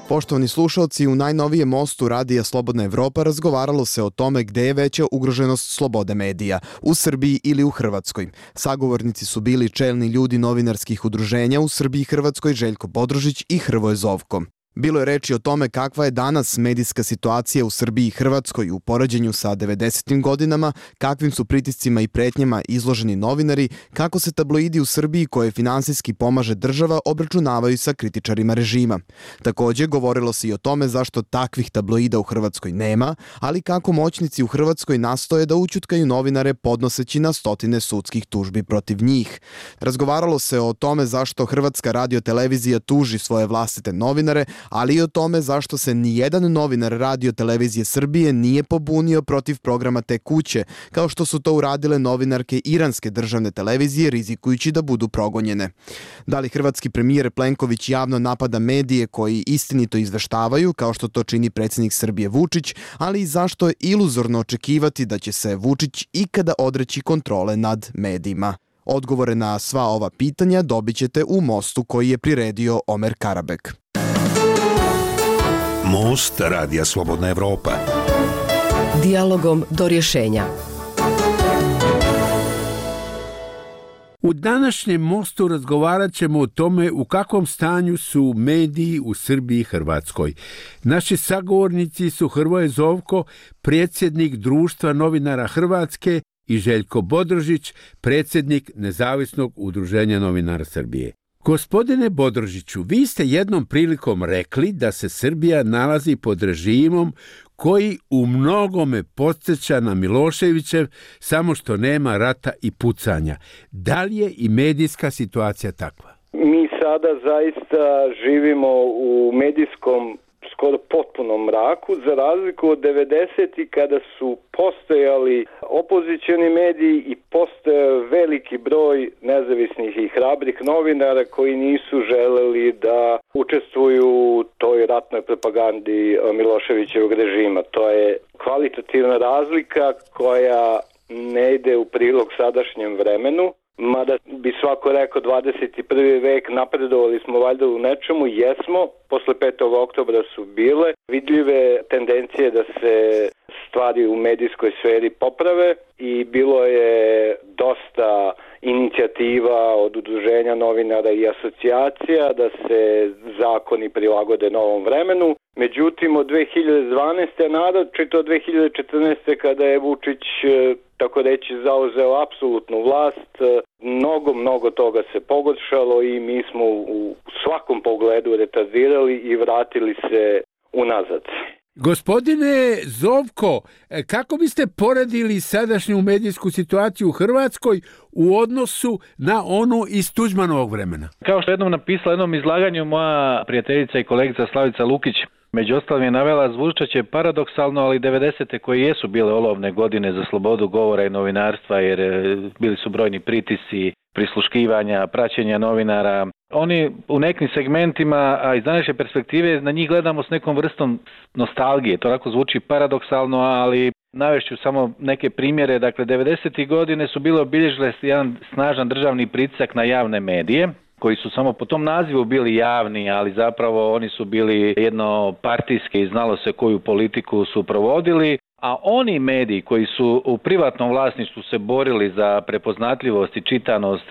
Poštovani slušalci, u najnovijem mostu Radija Slobodna Evropa razgovaralo se o tome gde je veća ugroženost slobode medija, u Srbiji ili u Hrvatskoj. Sagovornici su bili čelni ljudi novinarskih udruženja u Srbiji i Hrvatskoj Željko Bodrožić i Hrvoje Zovko. Bilo je reči o tome kakva je danas medijska situacija u Srbiji i Hrvatskoj u poređenju sa 90. godinama, kakvim su pritiscima i pretnjama izloženi novinari, kako se tabloidi u Srbiji koje finansijski pomaže država obračunavaju sa kritičarima režima. Također govorilo se i o tome zašto takvih tabloida u Hrvatskoj nema, ali kako moćnici u Hrvatskoj nastoje da ućutkaju novinare podnoseći na stotine sudskih tužbi protiv njih. Razgovaralo se o tome zašto Hrvatska radiotelevizija tuži svoje vlastite novinare, ali i o tome zašto se nijedan novinar Radio televizije Srbije nije pobunio protiv programa te kuće, kao što su to uradile novinarke iranske državne televizije rizikujući da budu progonjene. Da li hrvatski premijer Plenković javno napada medije koji istinito izveštavaju, kao što to čini predsjednik Srbije Vučić, ali i zašto je iluzorno očekivati da će se Vučić ikada odreći kontrole nad medijima? Odgovore na sva ova pitanja dobit ćete u mostu koji je priredio Omer Karabek. Most Radija Slobodna Evropa. Dijalogom do rješenja. U današnjem mostu razgovarat ćemo o tome u kakvom stanju su mediji u Srbiji i Hrvatskoj. Naši sagovornici su Hrvoje Zovko, predsjednik Društva novinara Hrvatske, i Željko Bodrožić, predsjednik Nezavisnog udruženja novinara Srbije. Gospodine Bodrožiću, vi ste jednom prilikom rekli da se Srbija nalazi pod režimom koji u mnogome podsjeća na Miloševićev, samo što nema rata i pucanja. Da li je i medijska situacija takva? Mi sada zaista živimo u medijskom skoro potpunom mraku, za razliku od 90-ih kada su postojali opozicioni mediji i postojao veliki broj nezavisnih i hrabrih novinara koji nisu želeli da učestvuju u toj ratnoj propagandi Miloševićevog režima. To je kvalitativna razlika koja ne ide u prilog sadašnjem vremenu. Mada bi svako rekao 21. vek, napredovali smo valjda u nečemu, jesmo, posle 5. oktobra su bile vidljive tendencije da se stvari u medijskoj sferi poprave i bilo je dosta inicijativa od udruženja novinara i asocijacija da se zakoni prilagode novom vremenu. Međutim, od 2012. naročito od 2014. kada je Vučić tako reći zauzeo apsolutnu vlast, mnogo toga se pogoršalo i mi smo u svakom pogledu retardirali i vratili se unazad. Gospodine Zovko, kako biste poredili sadašnju medijsku situaciju u Hrvatskoj u odnosu na onu iz Tuđmanovog vremena? Kao što jednom napisala jednom izlaganju moja prijateljica i kolegica Slavica Lukić, među ostalim je navela, zvučat će paradoksalno, ali 90. koje jesu bile olovne godine za slobodu govora i novinarstva, jer bili su brojni pritisci, prisluškivanja, praćenja novinara. Oni u nekim segmentima, a iz današnje perspektive, na njih gledamo s nekom vrstom nostalgije. To onako zvuči paradoksalno, ali navešću samo neke primjere. Dakle, 90. godine su bile obilježile jedan snažan državni pritisak na javne medije, koji su samo po tom nazivu bili javni, ali zapravo oni su bili jednopartijski i znalo se koju politiku su provodili. A oni mediji koji su u privatnom vlasništvu se borili za prepoznatljivost i čitanost,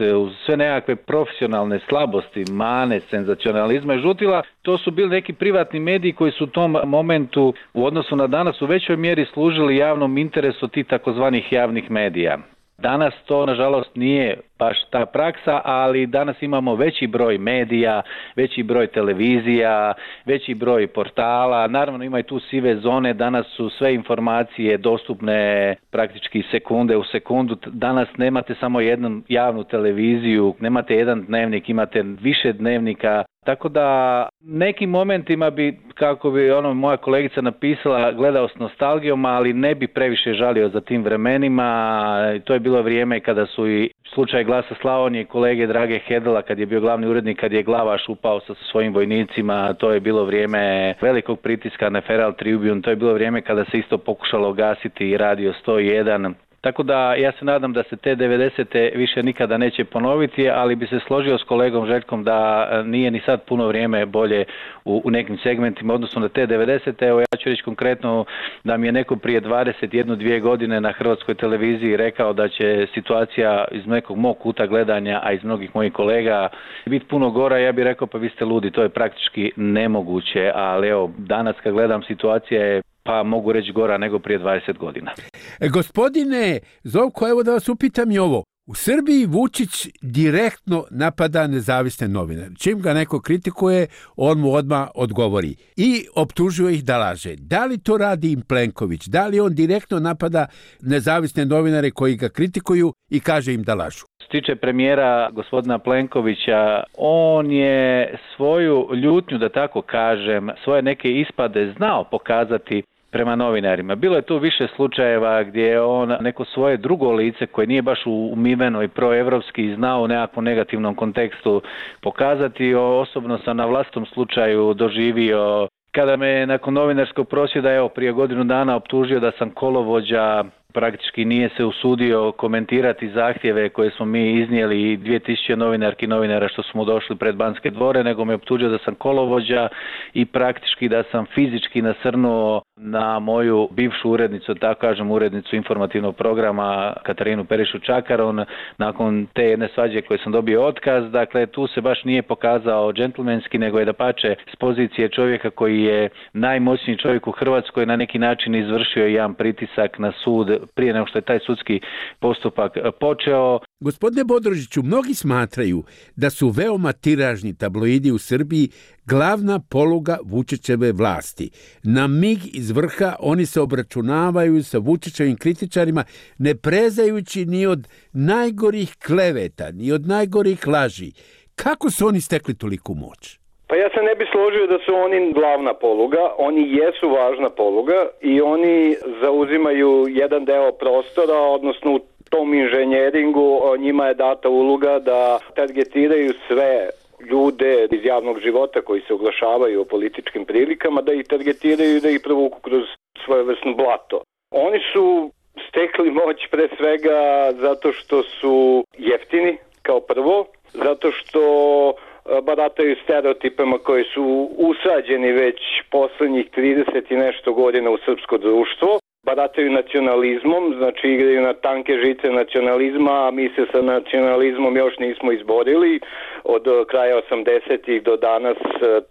sve nekakve profesionalne slabosti, mane, senzacionalizma i žutila, to su bili neki privatni mediji koji su u tom momentu u odnosu na danas u većoj mjeri služili javnom interesu tih takozvanih javnih medija. Danas to, nažalost, nije baš ta praksa, ali danas imamo veći broj medija, veći broj televizija, veći broj portala. Naravno, ima i tu sive zone. Danas su sve informacije dostupne praktički sekunde u sekundu. Danas nemate samo jednu javnu televiziju, nemate jedan dnevnik, imate više dnevnika. Tako da nekim momentima bi, kako bi moja kolegica napisala, gledao s nostalgijom, ali ne bi previše žalio za tim vremenima. To je bilo vrijeme kada su i slučaj Glasa Slavonije i kolege Drage Hedela, kad je bio glavni urednik, kad je Glavaš upao sa svojim vojnicima. To je bilo vrijeme velikog pritiska na Feral Tribune. To je bilo vrijeme kada se isto pokušalo gasiti Radio 101. Tako da ja se nadam da se te 90. više nikada neće ponoviti, ali bi se složio s kolegom Željkom da nije ni sad puno vrijeme bolje u nekim segmentima, odnosno na te 90. Evo ja ću reći konkretno da mi je neko prije 21-2 godine na Hrvatskoj televiziji rekao da će situacija iz nekog mog kuta gledanja, a iz mnogih mojih kolega, biti puno gora. Ja bih rekao pa vi ste ludi, to je praktički nemoguće, ali evo danas kad gledam situacija je pa mogu reći gora nego prije 20 godina. Gospodine Zovko, evo da vas upitam i ovo. U Srbiji Vučić direktno napada nezavisne novinare. Čim ga neko kritikuje, on mu odmah odgovori i optužuje ih da laže. Da li to radi im Plenković? Da li on direktno napada nezavisne novinare koji ga kritikuju i kaže im da lažu? Što se tiče premijera gospodina Plenkovića, on je svoju ljutnju, da tako kažem, svoje neke ispade znao pokazati prema novinarima. Bilo je tu više slučajeva gdje je on neko svoje drugo lice koje nije baš umiveno i proevropski znao u nekakvom negativnom kontekstu pokazati. Osobno sam na vlastnom slučaju doživio kada me nakon novinarskog prosvjeda prije godinu dana optužio da sam kolovođa, praktički nije se usudio komentirati zahtjeve koje smo mi iznijeli 2000 novinarki i novinara što smo došli pred Banske dvore, nego me optužio da sam kolovođa i praktički da sam fizički nasrnuo na moju bivšu urednicu, tako kažem, urednicu informativnog programa Katarinu Perišu Čakaron, nakon te jedne svađe koje sam dobio otkaz. Dakle, tu se baš nije pokazao džentlmenski, nego je dapače s pozicije čovjeka koji je najmoćniji čovjek u Hrvatskoj na neki način izvršio jedan pritisak na sud prije nego što je taj sudski postupak počeo. Gospodine Bodrožiću, mnogi smatraju da su veoma tiražni tabloidi u Srbiji glavna poluga Vučićeve vlasti. Na mig iz vrha oni se obračunavaju sa Vučićevim kritičarima, ne prezajući ni od najgorih kleveta, ni od najgorih laži. Kako su oni stekli toliku moć? Pa ja se ne bi složio da su oni glavna poluga, oni jesu važna poluga i oni zauzimaju jedan deo prostora, odnosno u tom inženjeringu njima je data uloga da targetiraju sve ljude iz javnog života koji se oglašavaju o političkim prilikama, da ih targetiraju i da ih provuku kroz svojevrsno blato. Oni su stekli moć pre svega zato što su jeftini kao prvo, zato što barataju stereotipama koji su usađeni već poslednjih 30 i nešto godina u srpsko društvo. Barataju nacionalizmom, znači igraju na tanke žice nacionalizma, a mi se sa nacionalizmom još nismo izborili. Od kraja 80-ih do danas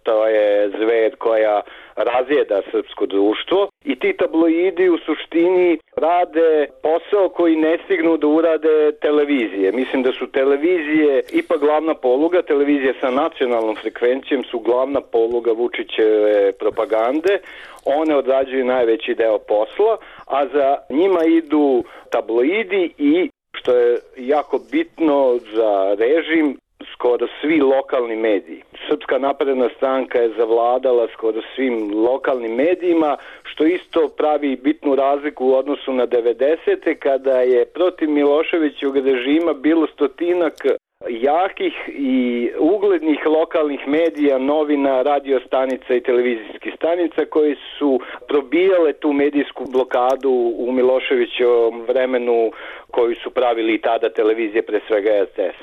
to je zver koja razjeda srpsko društvo. I ti tabloidi u suštini rade posao koji ne stignu da urade televizije. Mislim da su televizije ipak glavna poluga, televizije sa nacionalnom frekvencijom su glavna poluga Vučićeve propagande. One odrađuju najveći deo posla, a za njima idu tabloidi i, što je jako bitno za režim, skoro svi lokalni mediji. Srpska napredna stranka je zavladala skoro svim lokalnim medijima, što isto pravi bitnu razliku u odnosu na 90. kada je protiv Miloševićevog režima bilo stotinak jakih i uglednih lokalnih medija, novina, radio stanica i televizijskih stanica koji su probijale tu medijsku blokadu u Miloševićevom vremenu koju su pravili i tada televizije, pre svega RTS.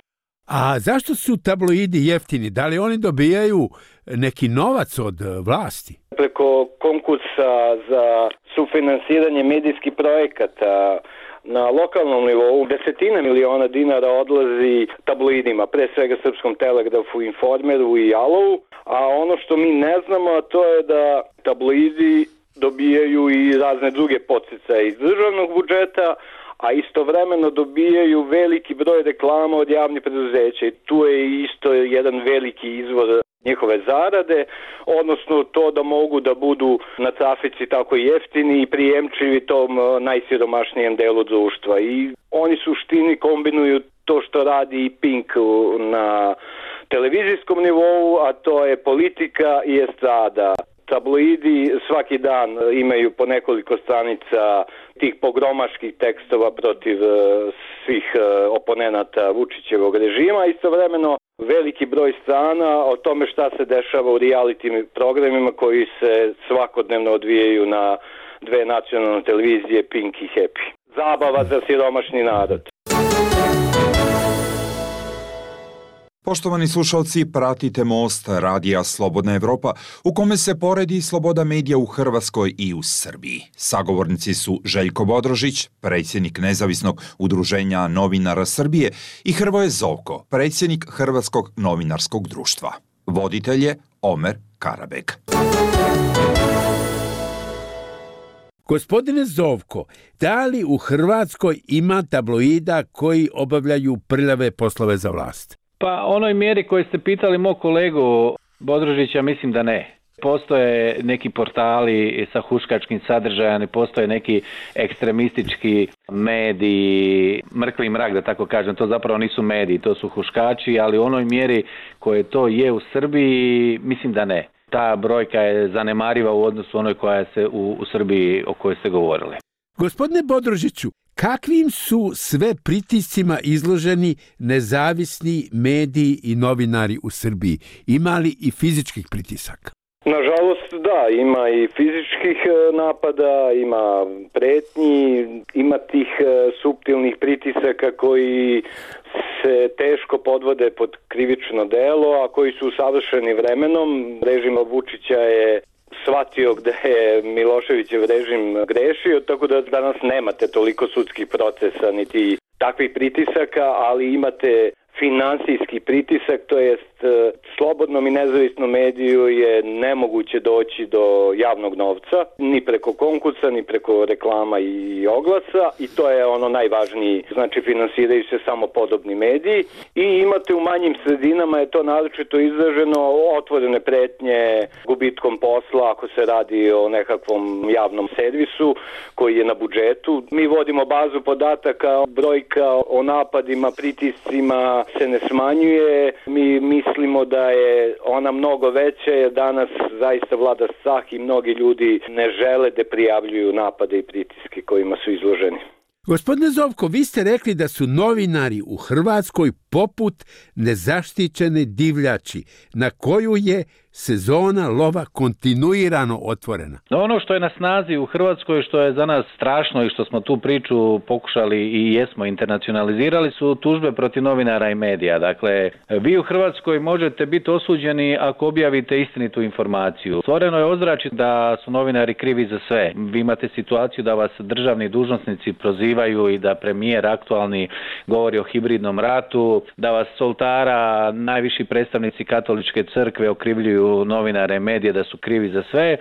A zašto su tabloidi jeftini? Da li oni dobijaju neki novac od vlasti? Preko konkursa za sufinansiranje medijskih projekata na lokalnom nivou desetine miliona dinara odlazi tabloidima, pre svega Srpskom telegrafu, Informeru i Jalovu, a ono što mi ne znamo, a to je da tabloidi dobijaju i razne druge podsticaje iz državnog budžeta, a istovremeno dobijaju veliki broj reklama od javnih preduzeća i tu je isto jedan veliki izvor njihove zarade, odnosno to da mogu da budu na trafici tako jeftini i prijemčivi tom najsiromašnijem delu društva. I oni suštini kombinuju to što radi i Pink na televizijskom nivou, a to je politika i estrada. Tabloidi svaki dan imaju po nekoliko stranica tih pogromaških tekstova protiv svih oponenata Vučićevog režima, istovremeno veliki broj strana o tome šta se dešava u reality programima koji se svakodnevno odvijaju na dve nacionalne televizije, Pink i Happy. zabava za siromašni narod. Poštovani slušalci, pratite Most radija Slobodna Evropa, u kome se poredi sloboda medija u Hrvatskoj i u Srbiji. Sagovornici su Željko Bodrožić, predsjednik Nezavisnog udruženja novinara Srbije, i Hrvoje Zovko, predsjednik Hrvatskog novinarskog društva. Voditelj je Omer Karabeg. Gospodine Zovko, da li u Hrvatskoj ima tabloida koji obavljaju prljave poslove za vlast? Pa onoj mjeri koji ste pitali mog kolegu Bodrožića, mislim da ne. Postoje neki portali sa huškačkim sadržajem, postoje neki ekstremistički mediji, mrkvi mrak da tako kažem, to zapravo nisu mediji, to su huškači, ali u onoj mjeri koje to je u Srbiji, mislim da ne. Ta brojka je zanemariva u odnosu onoj koja se u Srbiji o kojoj ste govorili. Gospodine Bodrožiću, kakvim su sve pritiscima izloženi nezavisni mediji i novinari u Srbiji? Ima li i fizičkih pritisaka? Nažalost, da, ima i fizičkih napada, ima pretnji, ima tih suptilnih pritisaka koji se teško podvode pod krivično delo, a koji su savršeni vremenom. Režim Vučića je shvatio gde je Miloševićev režim grešio, tako da danas nemate toliko sudskih procesa niti takvih pritisaka, ali imate finansijski pritisak, to jest slobodnom i nezavisnom mediju je nemoguće doći do javnog novca, ni preko konkursa, ni preko reklama i oglasa, i to je ono najvažniji, znači finansiraju se samo podobni mediji, i imate u manjim sredinama je to naročito izraženo otvorene pretnje gubitkom posla ako se radi o nekakvom javnom servisu koji je na budžetu. Mi vodimo bazu podataka, brojka o napadima, pritiscima se ne smanjuje, mi mislimo da je ona mnogo veća, jer danas zaista vlada strah i mnogi ljudi ne žele da prijavljuju napade i pritiske kojima su izloženi. Gospodine Zovko, vi ste rekli da su novinari u Hrvatskoj poput nezaštićene divljači, na koju je sezona lova kontinuirano otvorena. Ono što je na snazi u Hrvatskoj, što je za nas strašno i što smo tu priču pokušali i jesmo internacionalizirali, su tužbe protiv novinara i medija. Dakle, vi u Hrvatskoj možete biti osuđeni ako objavite istinitu informaciju. Stvoreno je ozračje da su novinari krivi za sve. Vi imate situaciju da vas državni dužnosnici prozivaju i da premijer aktualni govori o hibridnom ratu, da vas soltara najviši predstavnici katoličke crkve okrivljuju novinare, medije da su krivi za sve,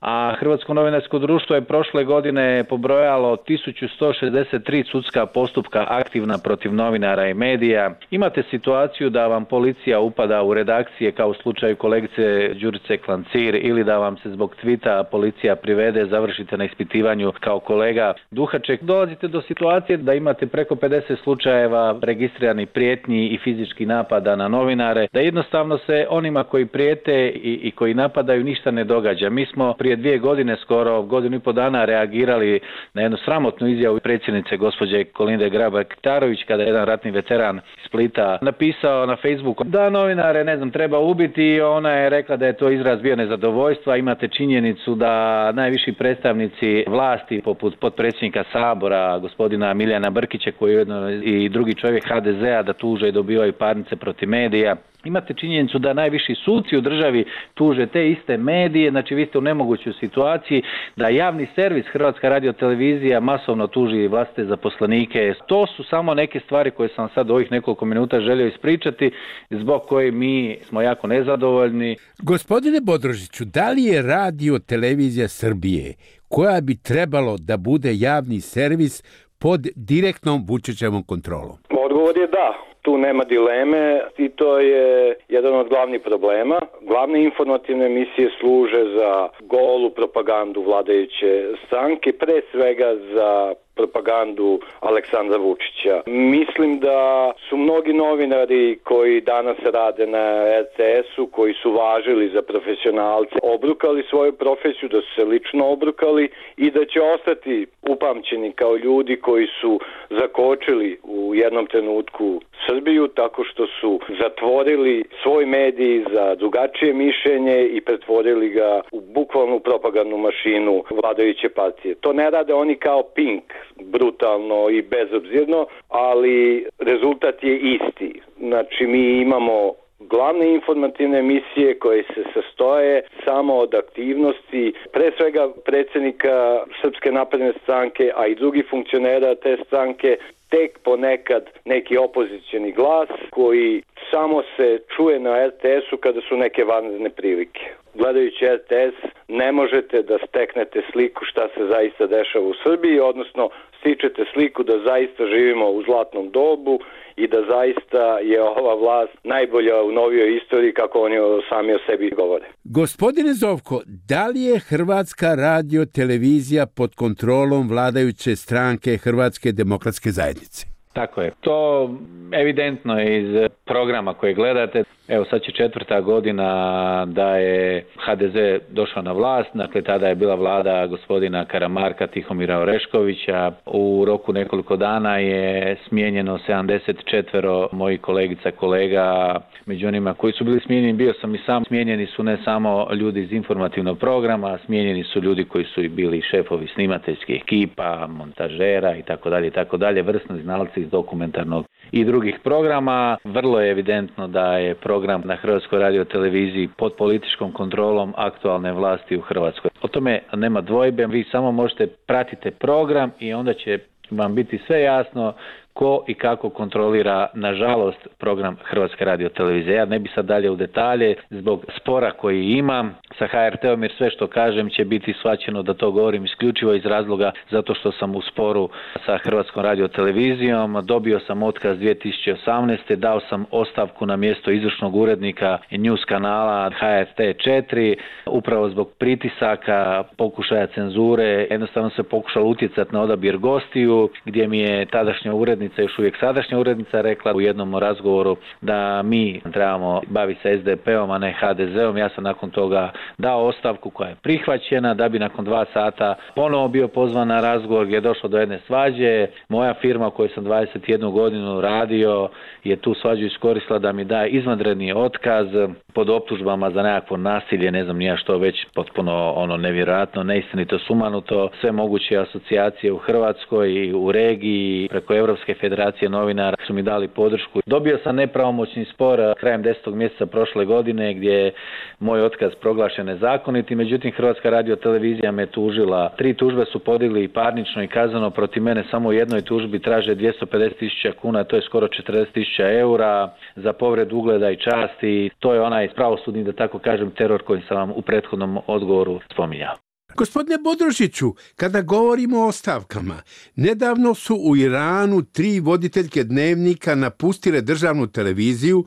a Hrvatsko novinarsko društvo je prošle godine pobrojalo 1163 sudska postupka aktivna protiv novinara i medija. Imate situaciju da vam policija upada u redakcije kao u slučaju kolegice Đurice Klancir, ili da vam se zbog tvita policija privede, završite na ispitivanju kao kolega Duhaček. Dolazite do situacije da imate preko 50 slučajeva registriranih prijetnji i fizičkih napada na novinare, da jednostavno se onima koji prijete i koji napadaju ništa ne događa. Mi smo prije 2 godine, skoro godinu i po dana, reagirali na jednu sramotnu izjavu predsjednice gospođe Kolinde Grabar-Kitarović, kada je jedan ratni veteran iz Splita napisao na Facebooku da novinare, treba ubiti, i ona je rekla da je to izraz bio nezadovoljstva. Imate činjenicu da najviši predstavnici vlasti, poput potpredsjednika Sabora, gospodina Milijana Brkića, koji je ujedno i drugi čovjek HDZ-a, da tuže i dobivaju parnice protiv medija. Imate činjenicu da najviši suci u državi tuže te iste medije, znači vi ste u nemogućoj situaciji da javni servis Hrvatska radiotelevizija masovno tuži vlastite zaposlenike. To su samo neke stvari koje sam sad u ovih nekoliko minuta želio ispričati, zbog koje mi smo jako nezadovoljni. Gospodine Bodrožiću, da li je Radiotelevizija Srbije, koja bi trebalo da bude javni servis, pod direktnom Vučićevom kontrolom? Odgovor je da. Tu nema dileme i to je jedan od glavnih problema. Glavne informativne emisije služe za golu propagandu vladajuće stranke, pre svega za propagandu Aleksandra Vučića. Mislim da su mnogi novinari koji danas rade na RTS-u, koji su važili za profesionalce, obrukali svoju profesiju, da su se lično obrukali i da će ostati upamćeni kao ljudi koji su zakočili u jednom trenutku Srbiju tako što su zatvorili svoj medij za drugačije mišljenje i pretvorili ga u bukvalnu propagandnu mašinu vladajuće partije. To ne rade oni kao Pink, brutalno i bezobzirno, ali rezultat je isti. Znači mi imamo glavne informativne emisije koje se sastoje samo od aktivnosti pre svega predsjednika Srpske napredne stranke, a i drugih funkcionera te stranke, tek ponekad neki opozicioni glas koji samo se čuje na RTS-u kada su neke vanredne prilike. Gledajući RTS ne možete da steknete sliku šta se zaista dešava u Srbiji, odnosno stičete sliku da zaista živimo u zlatnom dobu i da zaista je ova vlast najbolja u novijoj istoriji, kako oni sami o sebi govore. Gospodine Zovko, da li je Hrvatska radio televizija pod kontrolom vladajuće stranke Hrvatske demokratske zajednice? Tako je. To evidentno je iz programa koje gledate. Evo sad će 4. godina da je HDZ došao na vlast, dakle tada je bila vlada gospodina Karamarka, Tihomira Oreškovića. U roku nekoliko dana je smijenjeno 74 mojih kolegica, kolega. Među onima koji su bili smijenjeni, bio sam i sam. Smijenjeni su ne samo ljudi iz informativnog programa, smijenjeni su ljudi koji su i bili šefovi snimateljskih ekipa, montažera itd., vrsni znalci iz dokumentarnog i drugih programa. Vrlo je evidentno da je program na Hrvatskoj radioteleviziji pod političkom kontrolom aktualne vlasti u Hrvatskoj. O tome nema dvojbe, vi samo možete pratiti program i onda će vam biti sve jasno ko i kako kontrolira, nažalost, program Hrvatske radiotelevizije. Ja ne bi sad dalje u detalje zbog spora koji imam sa HRT-om, jer sve što kažem će biti shvaćeno da to govorim isključivo iz razloga zato što sam u sporu sa Hrvatskom radiotelevizijom. Dobio sam otkaz 2018. Dao sam ostavku na mjesto izvršnog urednika News kanala HRT 4, upravo zbog pritisaka, pokušaja cenzure. Jednostavno se pokušalo utjecati na odabir gostiju, gdje mi je tadašnja urednica, još uvijek sadašnja urednica, rekla u jednom razgovoru da mi trebamo baviti se SDP-om, a ne HDZ-om. Ja sam nakon toga dao ostavku koja je prihvaćena, da bi nakon 2 sata ponovo bio pozvan na razgovor gdje je došlo do jedne svađe. Moja firma u kojoj sam 21 godinu radio je tu svađu iskoristila da mi daje izvanredni otkaz pod optužbama za nekakvo nasilje, ne znam ni ja što, već potpuno nevjerojatno, neistinito, sumanuto. Sve moguće asocijacije u Hrvatskoj i u regiji preko Europske federacije novinara su mi dali podršku. Dobio sam nepravomoćni spor krajem 10. mjeseca prošle godine gdje je moj otkaz proglašen nezakonitim, međutim Hrvatska radiotelevizija me tužila. 3 tužbe su podigli i parnično i kazneno protiv mene, samo u jednoj tužbi traže 250.000 kuna, to je skoro 40.000 eura za povredu ugleda i časti. To je onaj pravosudni, da tako kažem, teror koji sam vam u prethodnom odgovoru spominjao. Gospodine Bodrožiću, kada govorimo o ostavkama, nedavno su u Iranu 3 voditeljke dnevnika napustile državnu televiziju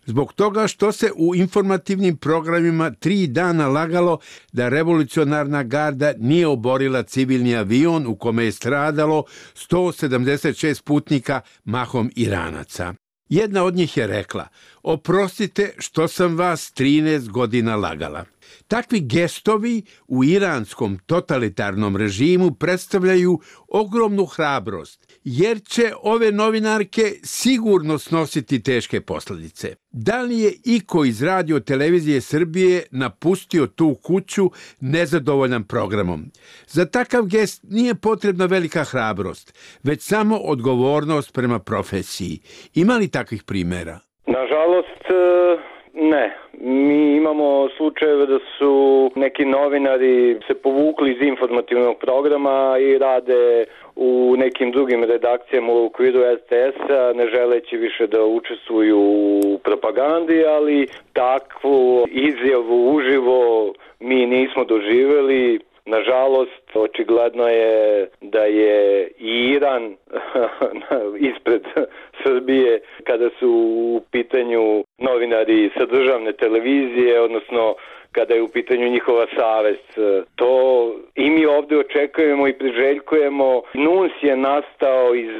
zbog toga što se u informativnim programima 3 dana lagalo da revolucionarna garda nije oborila civilni avion u kome je stradalo 176 putnika, mahom Iranaca. Jedna od njih je rekla: "Oprostite što sam vas 13 godina lagala." Takvi gestovi u iranskom totalitarnom režimu predstavljaju ogromnu hrabrost, jer će ove novinarke sigurno snositi teške posljedice. Da li je iko iz Radio televizije Srbije napustio tu kuću nezadovoljan programom? Za takav gest nije potrebna velika hrabrost, već samo odgovornost prema profesiji. Ima li takvih primjera? Nažalost, ne. Mi imamo slučajeve da su neki novinari se povukli iz informativnog programa i rade u nekim drugim redakcijama u okviru RTS-a, ne želeći više da učestvuju u propagandi, ali takvu izjavu uživo mi nismo doživjeli. Nažalost, očigledno je da je i Iran ispred Srbije kada su u pitanju novinari sa državne televizije, odnosno kada je u pitanju njihova savest. To i mi ovdje očekujemo i priželjkujemo. NUNS je nastao iz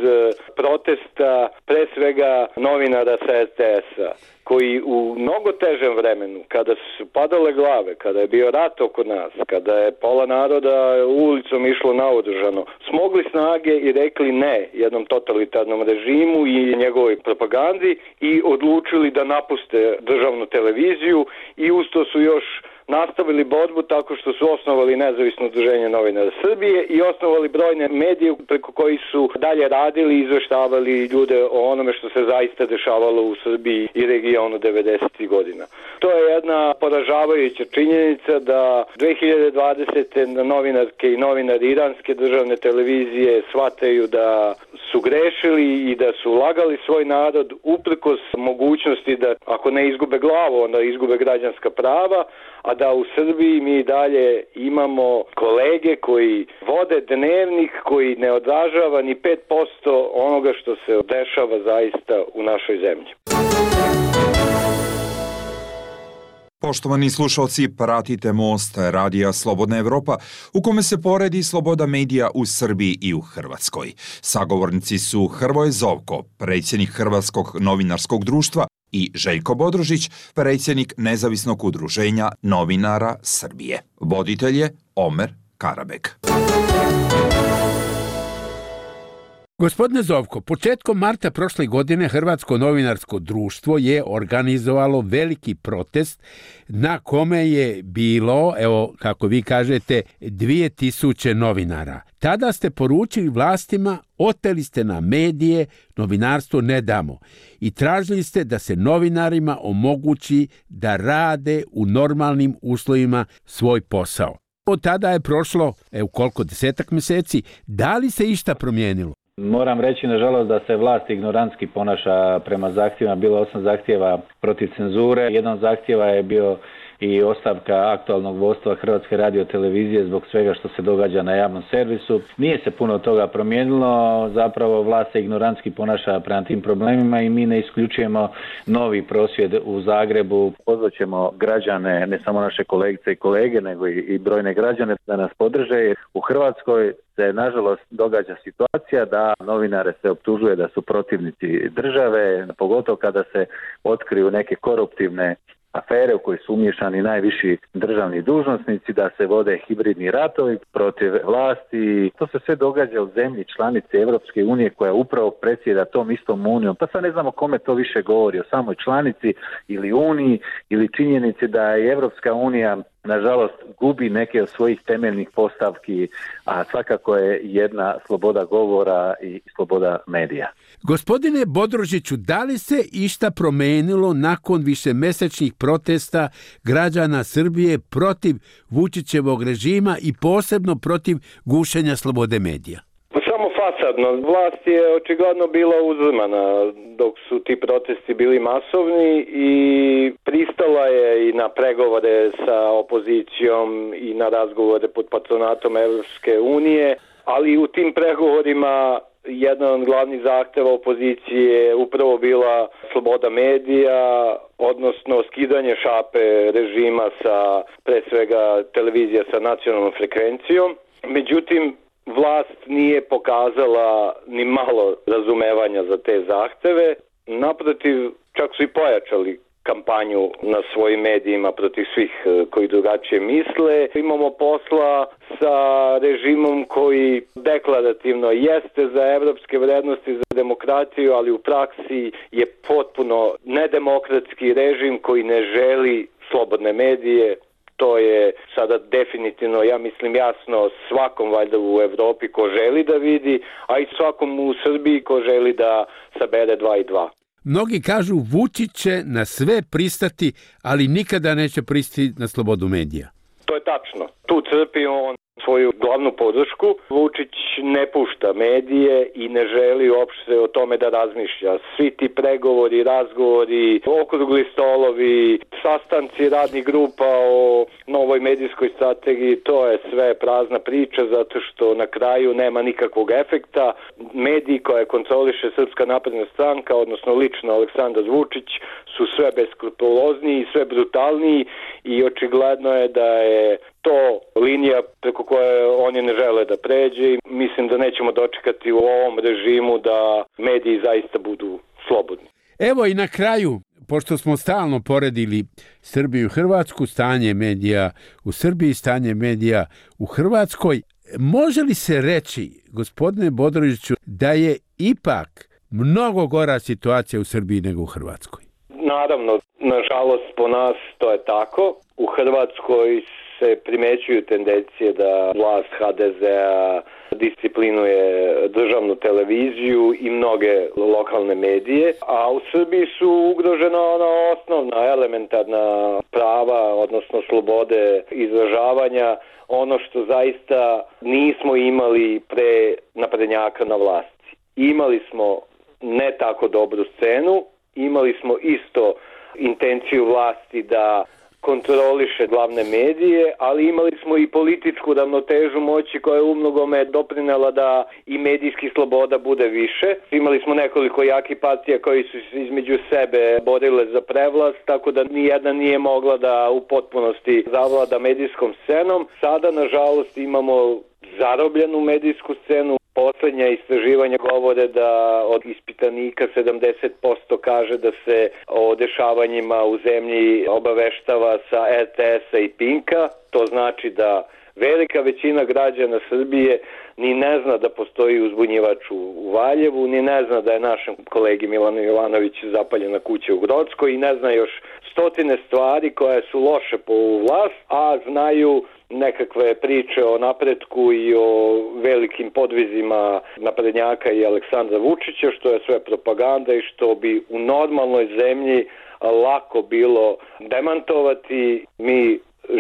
protesta pre svega novinara sa RTS-a, koji u mnogo težem vremenu, kada su padale glave, kada je bio rat oko nas, kada je pola naroda ulicom išlo naoružano, smogli snage i rekli ne jednom totalitarnom režimu i njegovoj propagandi i odlučili da napuste državnu televiziju i usto su još nastavili borbu tako što su osnovali nezavisno udruženje novinara Srbije i osnovali brojne medije preko koji su dalje radili i izveštavali ljude o onome što se zaista dešavalo u Srbiji i regionu 90. godina. To je jedna poražavajuća činjenica da 2020. novinarke i novinari iranske državne televizije shvataju da su grešili i da su lagali svoj narod uprkos mogućnosti da ako ne izgube glavu, onda izgube građanska prava, a da u Srbiji mi dalje imamo kolege koji vode dnevnik koji ne odražava ni 5% onoga što se dešava zaista u našoj zemlji. Poštovani slušalci, pratite Most Radija Slobodna Evropa, u kome se poredi sloboda medija u Srbiji i u Hrvatskoj. Sagovornici su Hrvoje Zovko, predsjednik Hrvatskog novinarskog društva, i Željko Bodrožić, predsjednik Nezavisnog udruženja novinara Srbije. Voditelj je Omer Karabek. Gospodine Zovko, početkom marta prošle godine Hrvatsko novinarsko društvo je organizovalo veliki protest na kome je bilo, evo kako vi kažete, 2000 novinara. Tada ste poručili vlastima, oteli ste nam medije, novinarstvo ne damo i tražili ste da se novinarima omogući da rade u normalnim uslovima svoj posao. Od tada je prošlo, koliko, 10 mjeseci, da li se išta promijenilo? Moram reći, nažalost, da se vlast ignorantski ponaša prema zahtjevima. Bilo 8 zahtjeva protiv cenzure. Jedan zahtjeva je bio i ostavka aktualnog vodstva Hrvatske radiotelevizije zbog svega što se događa na javnom servisu. Nije se puno toga promijenilo, zapravo vlast se ignorantski ponaša prema tim problemima i mi ne isključujemo novi prosvjed u Zagrebu. Pozvaćemo građane, ne samo naše kolegice i kolege, nego i brojne građane da nas podrže. U Hrvatskoj se nažalost događa situacija da novinare se optužuje da su protivnici države, pogotovo kada se otkriju neke koruptivne afere u koje su umiješani najviši državni dužnosnici, da se vode hibridni ratovi protiv vlasti. To se sve događa u zemlji članice Europske unije koja upravo predsjeda tom istom unijom. Pa sad ne znamo kome to više govori, o samoj članici ili uniji ili činjenici da je Europska unija nažalost gubi neke od svojih temeljnih postavki, a svakako je jedna sloboda govora i sloboda medija. Gospodine Bodrožiću, da li se išta promenilo nakon višemesečnih protesta građana Srbije protiv Vučićevog režima i posebno protiv gušenja slobode medija? Samo fasadno. Vlast je očigledno bila uzmana dok su ti protesti bili masovni i pristala je i na pregovore sa opozicijom i na razgovore pod patronatom Evropske unije, ali u tim pregovorima jedan od glavnih zahteva opozicije je upravo bila sloboda medija, odnosno skidanje šape režima sa, pre svega, televizija sa nacionalnom frekvencijom. Međutim, vlast nije pokazala ni malo razumevanja za te zahteve. Naprotiv, čak su i pojačali kampanju na svojim medijima protiv svih koji drugačije misle. Imamo posla sa režimom koji deklarativno jeste za evropske vrednosti, za demokratiju, ali u praksi je potpuno nedemokratski režim koji ne želi slobodne medije. To je sada definitivno, ja mislim, jasno svakom valjda u Evropi ko želi da vidi, a i svakom u Srbiji ko želi da sabere 2 i 2. Mnogi kažu Vučić će na sve pristati, ali nikada neće pristati na slobodu medija. To je tačno. Tu crpi on svoju glavnu podršku. Vučić ne pušta medije i ne želi uopšte o tome da razmišlja. Svi ti pregovori, razgovori, okrugli stolovi, sastanci radnih grupa o novoj medijskoj strategiji, to je sve prazna priča zato što na kraju nema nikakvog efekta. Mediji koje kontroliše Srpska napredna stranka, odnosno lično Aleksandar Vučić, su sve beskrupulozniji, sve brutalniji i očigledno je da je to linija preko koje oni ne žele da pređe i mislim da nećemo dočekati u ovom režimu da mediji zaista budu slobodni. Evo i na kraju, pošto smo stalno poredili Srbiju i Hrvatsku, stanje medija u Srbiji, stanje medija u Hrvatskoj, može li se reći, gospodine Bodrožiću, da je ipak mnogo gora situacija u Srbiji nego u Hrvatskoj? Naravno, Nažalost, po nas to je tako. U Hrvatskoj se primećuju tendencije da vlast HDZ-a disciplinuje državnu televiziju i mnoge lokalne medije, a u Srbiji su ugrožena ona osnovna, elementarna prava, odnosno slobode izražavanja, ono što zaista nismo imali pre naprednjaka na vlasti. Imali smo ne tako dobru scenu, imali smo isto intenciju vlasti da kontroliše glavne medije, ali imali smo i političku ravnotežu moći koja je umnogome doprinela da i medijski sloboda bude više. Imali smo nekoliko jakih partija koji su se između sebe borile za prevlast, tako da nijedna nije mogla da u potpunosti zavlada medijskom scenom. Sada, nažalost, imamo zarobljenu medijsku scenu. Poslednja istraživanja govore da od ispitanika 70% kaže da se o dešavanjima u zemlji obaveštava sa RTS-a i Pinka. To znači da velika većina građana Srbije ni ne zna da postoji uzbunjivač u Valjevu, ni ne zna da je našem kolegi Milanu Jovanoviću zapaljena kuća u Grockoj i ne zna još stotine stvari koje su loše po vlast, a znaju nekakve priče o napretku i o velikim podvizima naprednjaka i Aleksandra Vučića, što je sve propaganda i što bi u normalnoj zemlji lako bilo demantovati. Mi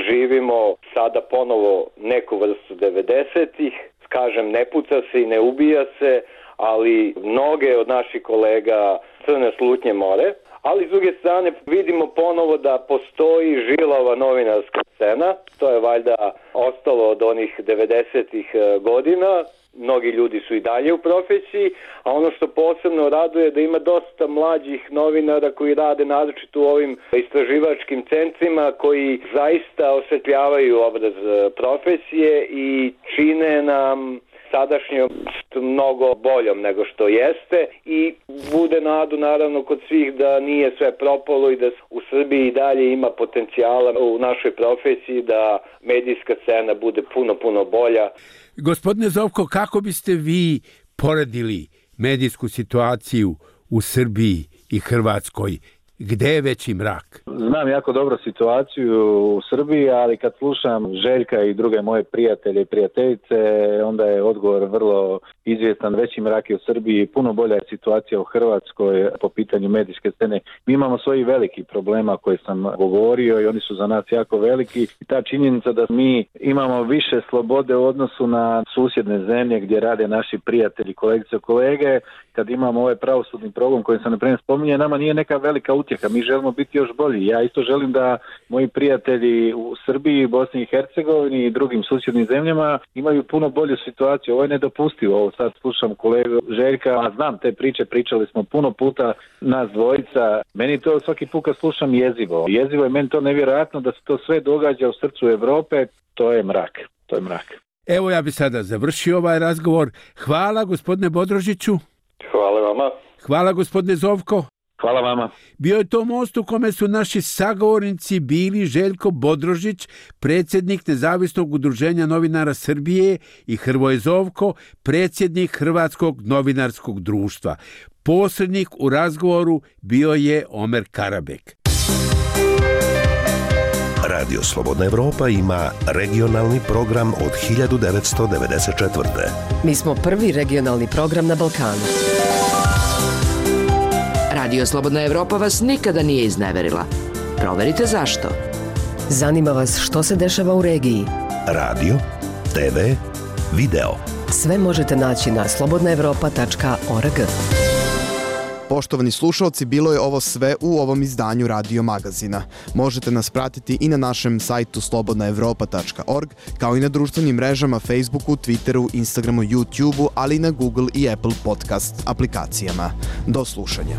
živimo sada ponovo neku vrstu 90-ih, kažem, ne puca se i ne ubija se, ali mnoge od naših kolega crne slutnje more. Ali s druge strane vidimo ponovo da postoji žilava novinarska scena, to je valjda ostalo od onih 90-ih godina, mnogi ljudi su i dalje u profesiji, a ono što posebno raduje je da ima dosta mlađih novinara koji rade naročito u ovim istraživačkim centrima koji zaista osvetljavaju obraz profesije i čine nam sadašnjost mnogo boljom nego što jeste i bude nadu naravno kod svih da nije sve propalo i da u Srbiji i dalje ima potencijala u našoj profesiji da medijska scena bude puno bolja. Gospodine Zovko, kako biste vi poredili medijsku situaciju u Srbiji i Hrvatskoj? Gde je veći mrak? Znam jako dobro situaciju u Srbiji, ali kad slušam Željka i druge moje prijatelje i prijateljice, onda je odgovor vrlo izvjestan. Veći mrak je u Srbiji, puno bolja je situacija u Hrvatskoj po pitanju medijske scene. Mi imamo svojih velikih problema koje sam govorio i oni su za nas jako veliki. I ta činjenica da mi imamo više slobode u odnosu na susjedne zemlje gdje rade naši prijatelji, kolegice i kolege, kad imamo ovaj pravosudni progon koji sam naprimjer spominje, nama nije neka velika utjeha. Mi želimo biti još bolji. Ja isto želim da moji prijatelji u Srbiji, Bosni i Hercegovini i drugim susjednim zemljama imaju puno bolju situaciju. Ovo je nedopustivo. Ovo sad slušam kolegu Željka, a znam te priče, pričali smo puno puta nas dvojica. Meni to svaki put kad slušam jezivo. Jezivo je meni to nevjerojatno da se to sve događa u srcu Evrope. To je mrak. To je mrak. Evo ja bi sada završio ovaj razgovor. Hvala gospodine Bodrožiću. Hvala vama. Hvala gospodine Zovko. Hvala vama. Bio je to most u kome su naši sagovornici bili Željko Bodrožić, predsjednik Nezavisnog udruženja novinara Srbije i Hrvoje Zovko, predsjednik Hrvatskog novinarskog društva. Posrednik u razgovoru bio je Omer Karabek. Radio Slobodna Evropa ima regionalni program od 1994. Mi smo prvi regionalni program na Balkanu. Radio Slobodna Evropa vas nikada nije izneverila. Proverite zašto. Zanima vas što se dešava u regiji. Radio, TV, video. Sve možete naći na slobodnaevropa.org. Poštovani slušalci, bilo je ovo sve u ovom izdanju Radio Magazina. Možete nas pratiti i na našem sajtu slobodnaevropa.org, kao i na društvenim mrežama Facebooku, Twitteru, Instagramu, YouTubeu, ali i na Google i Apple podcast aplikacijama. Do slušanja.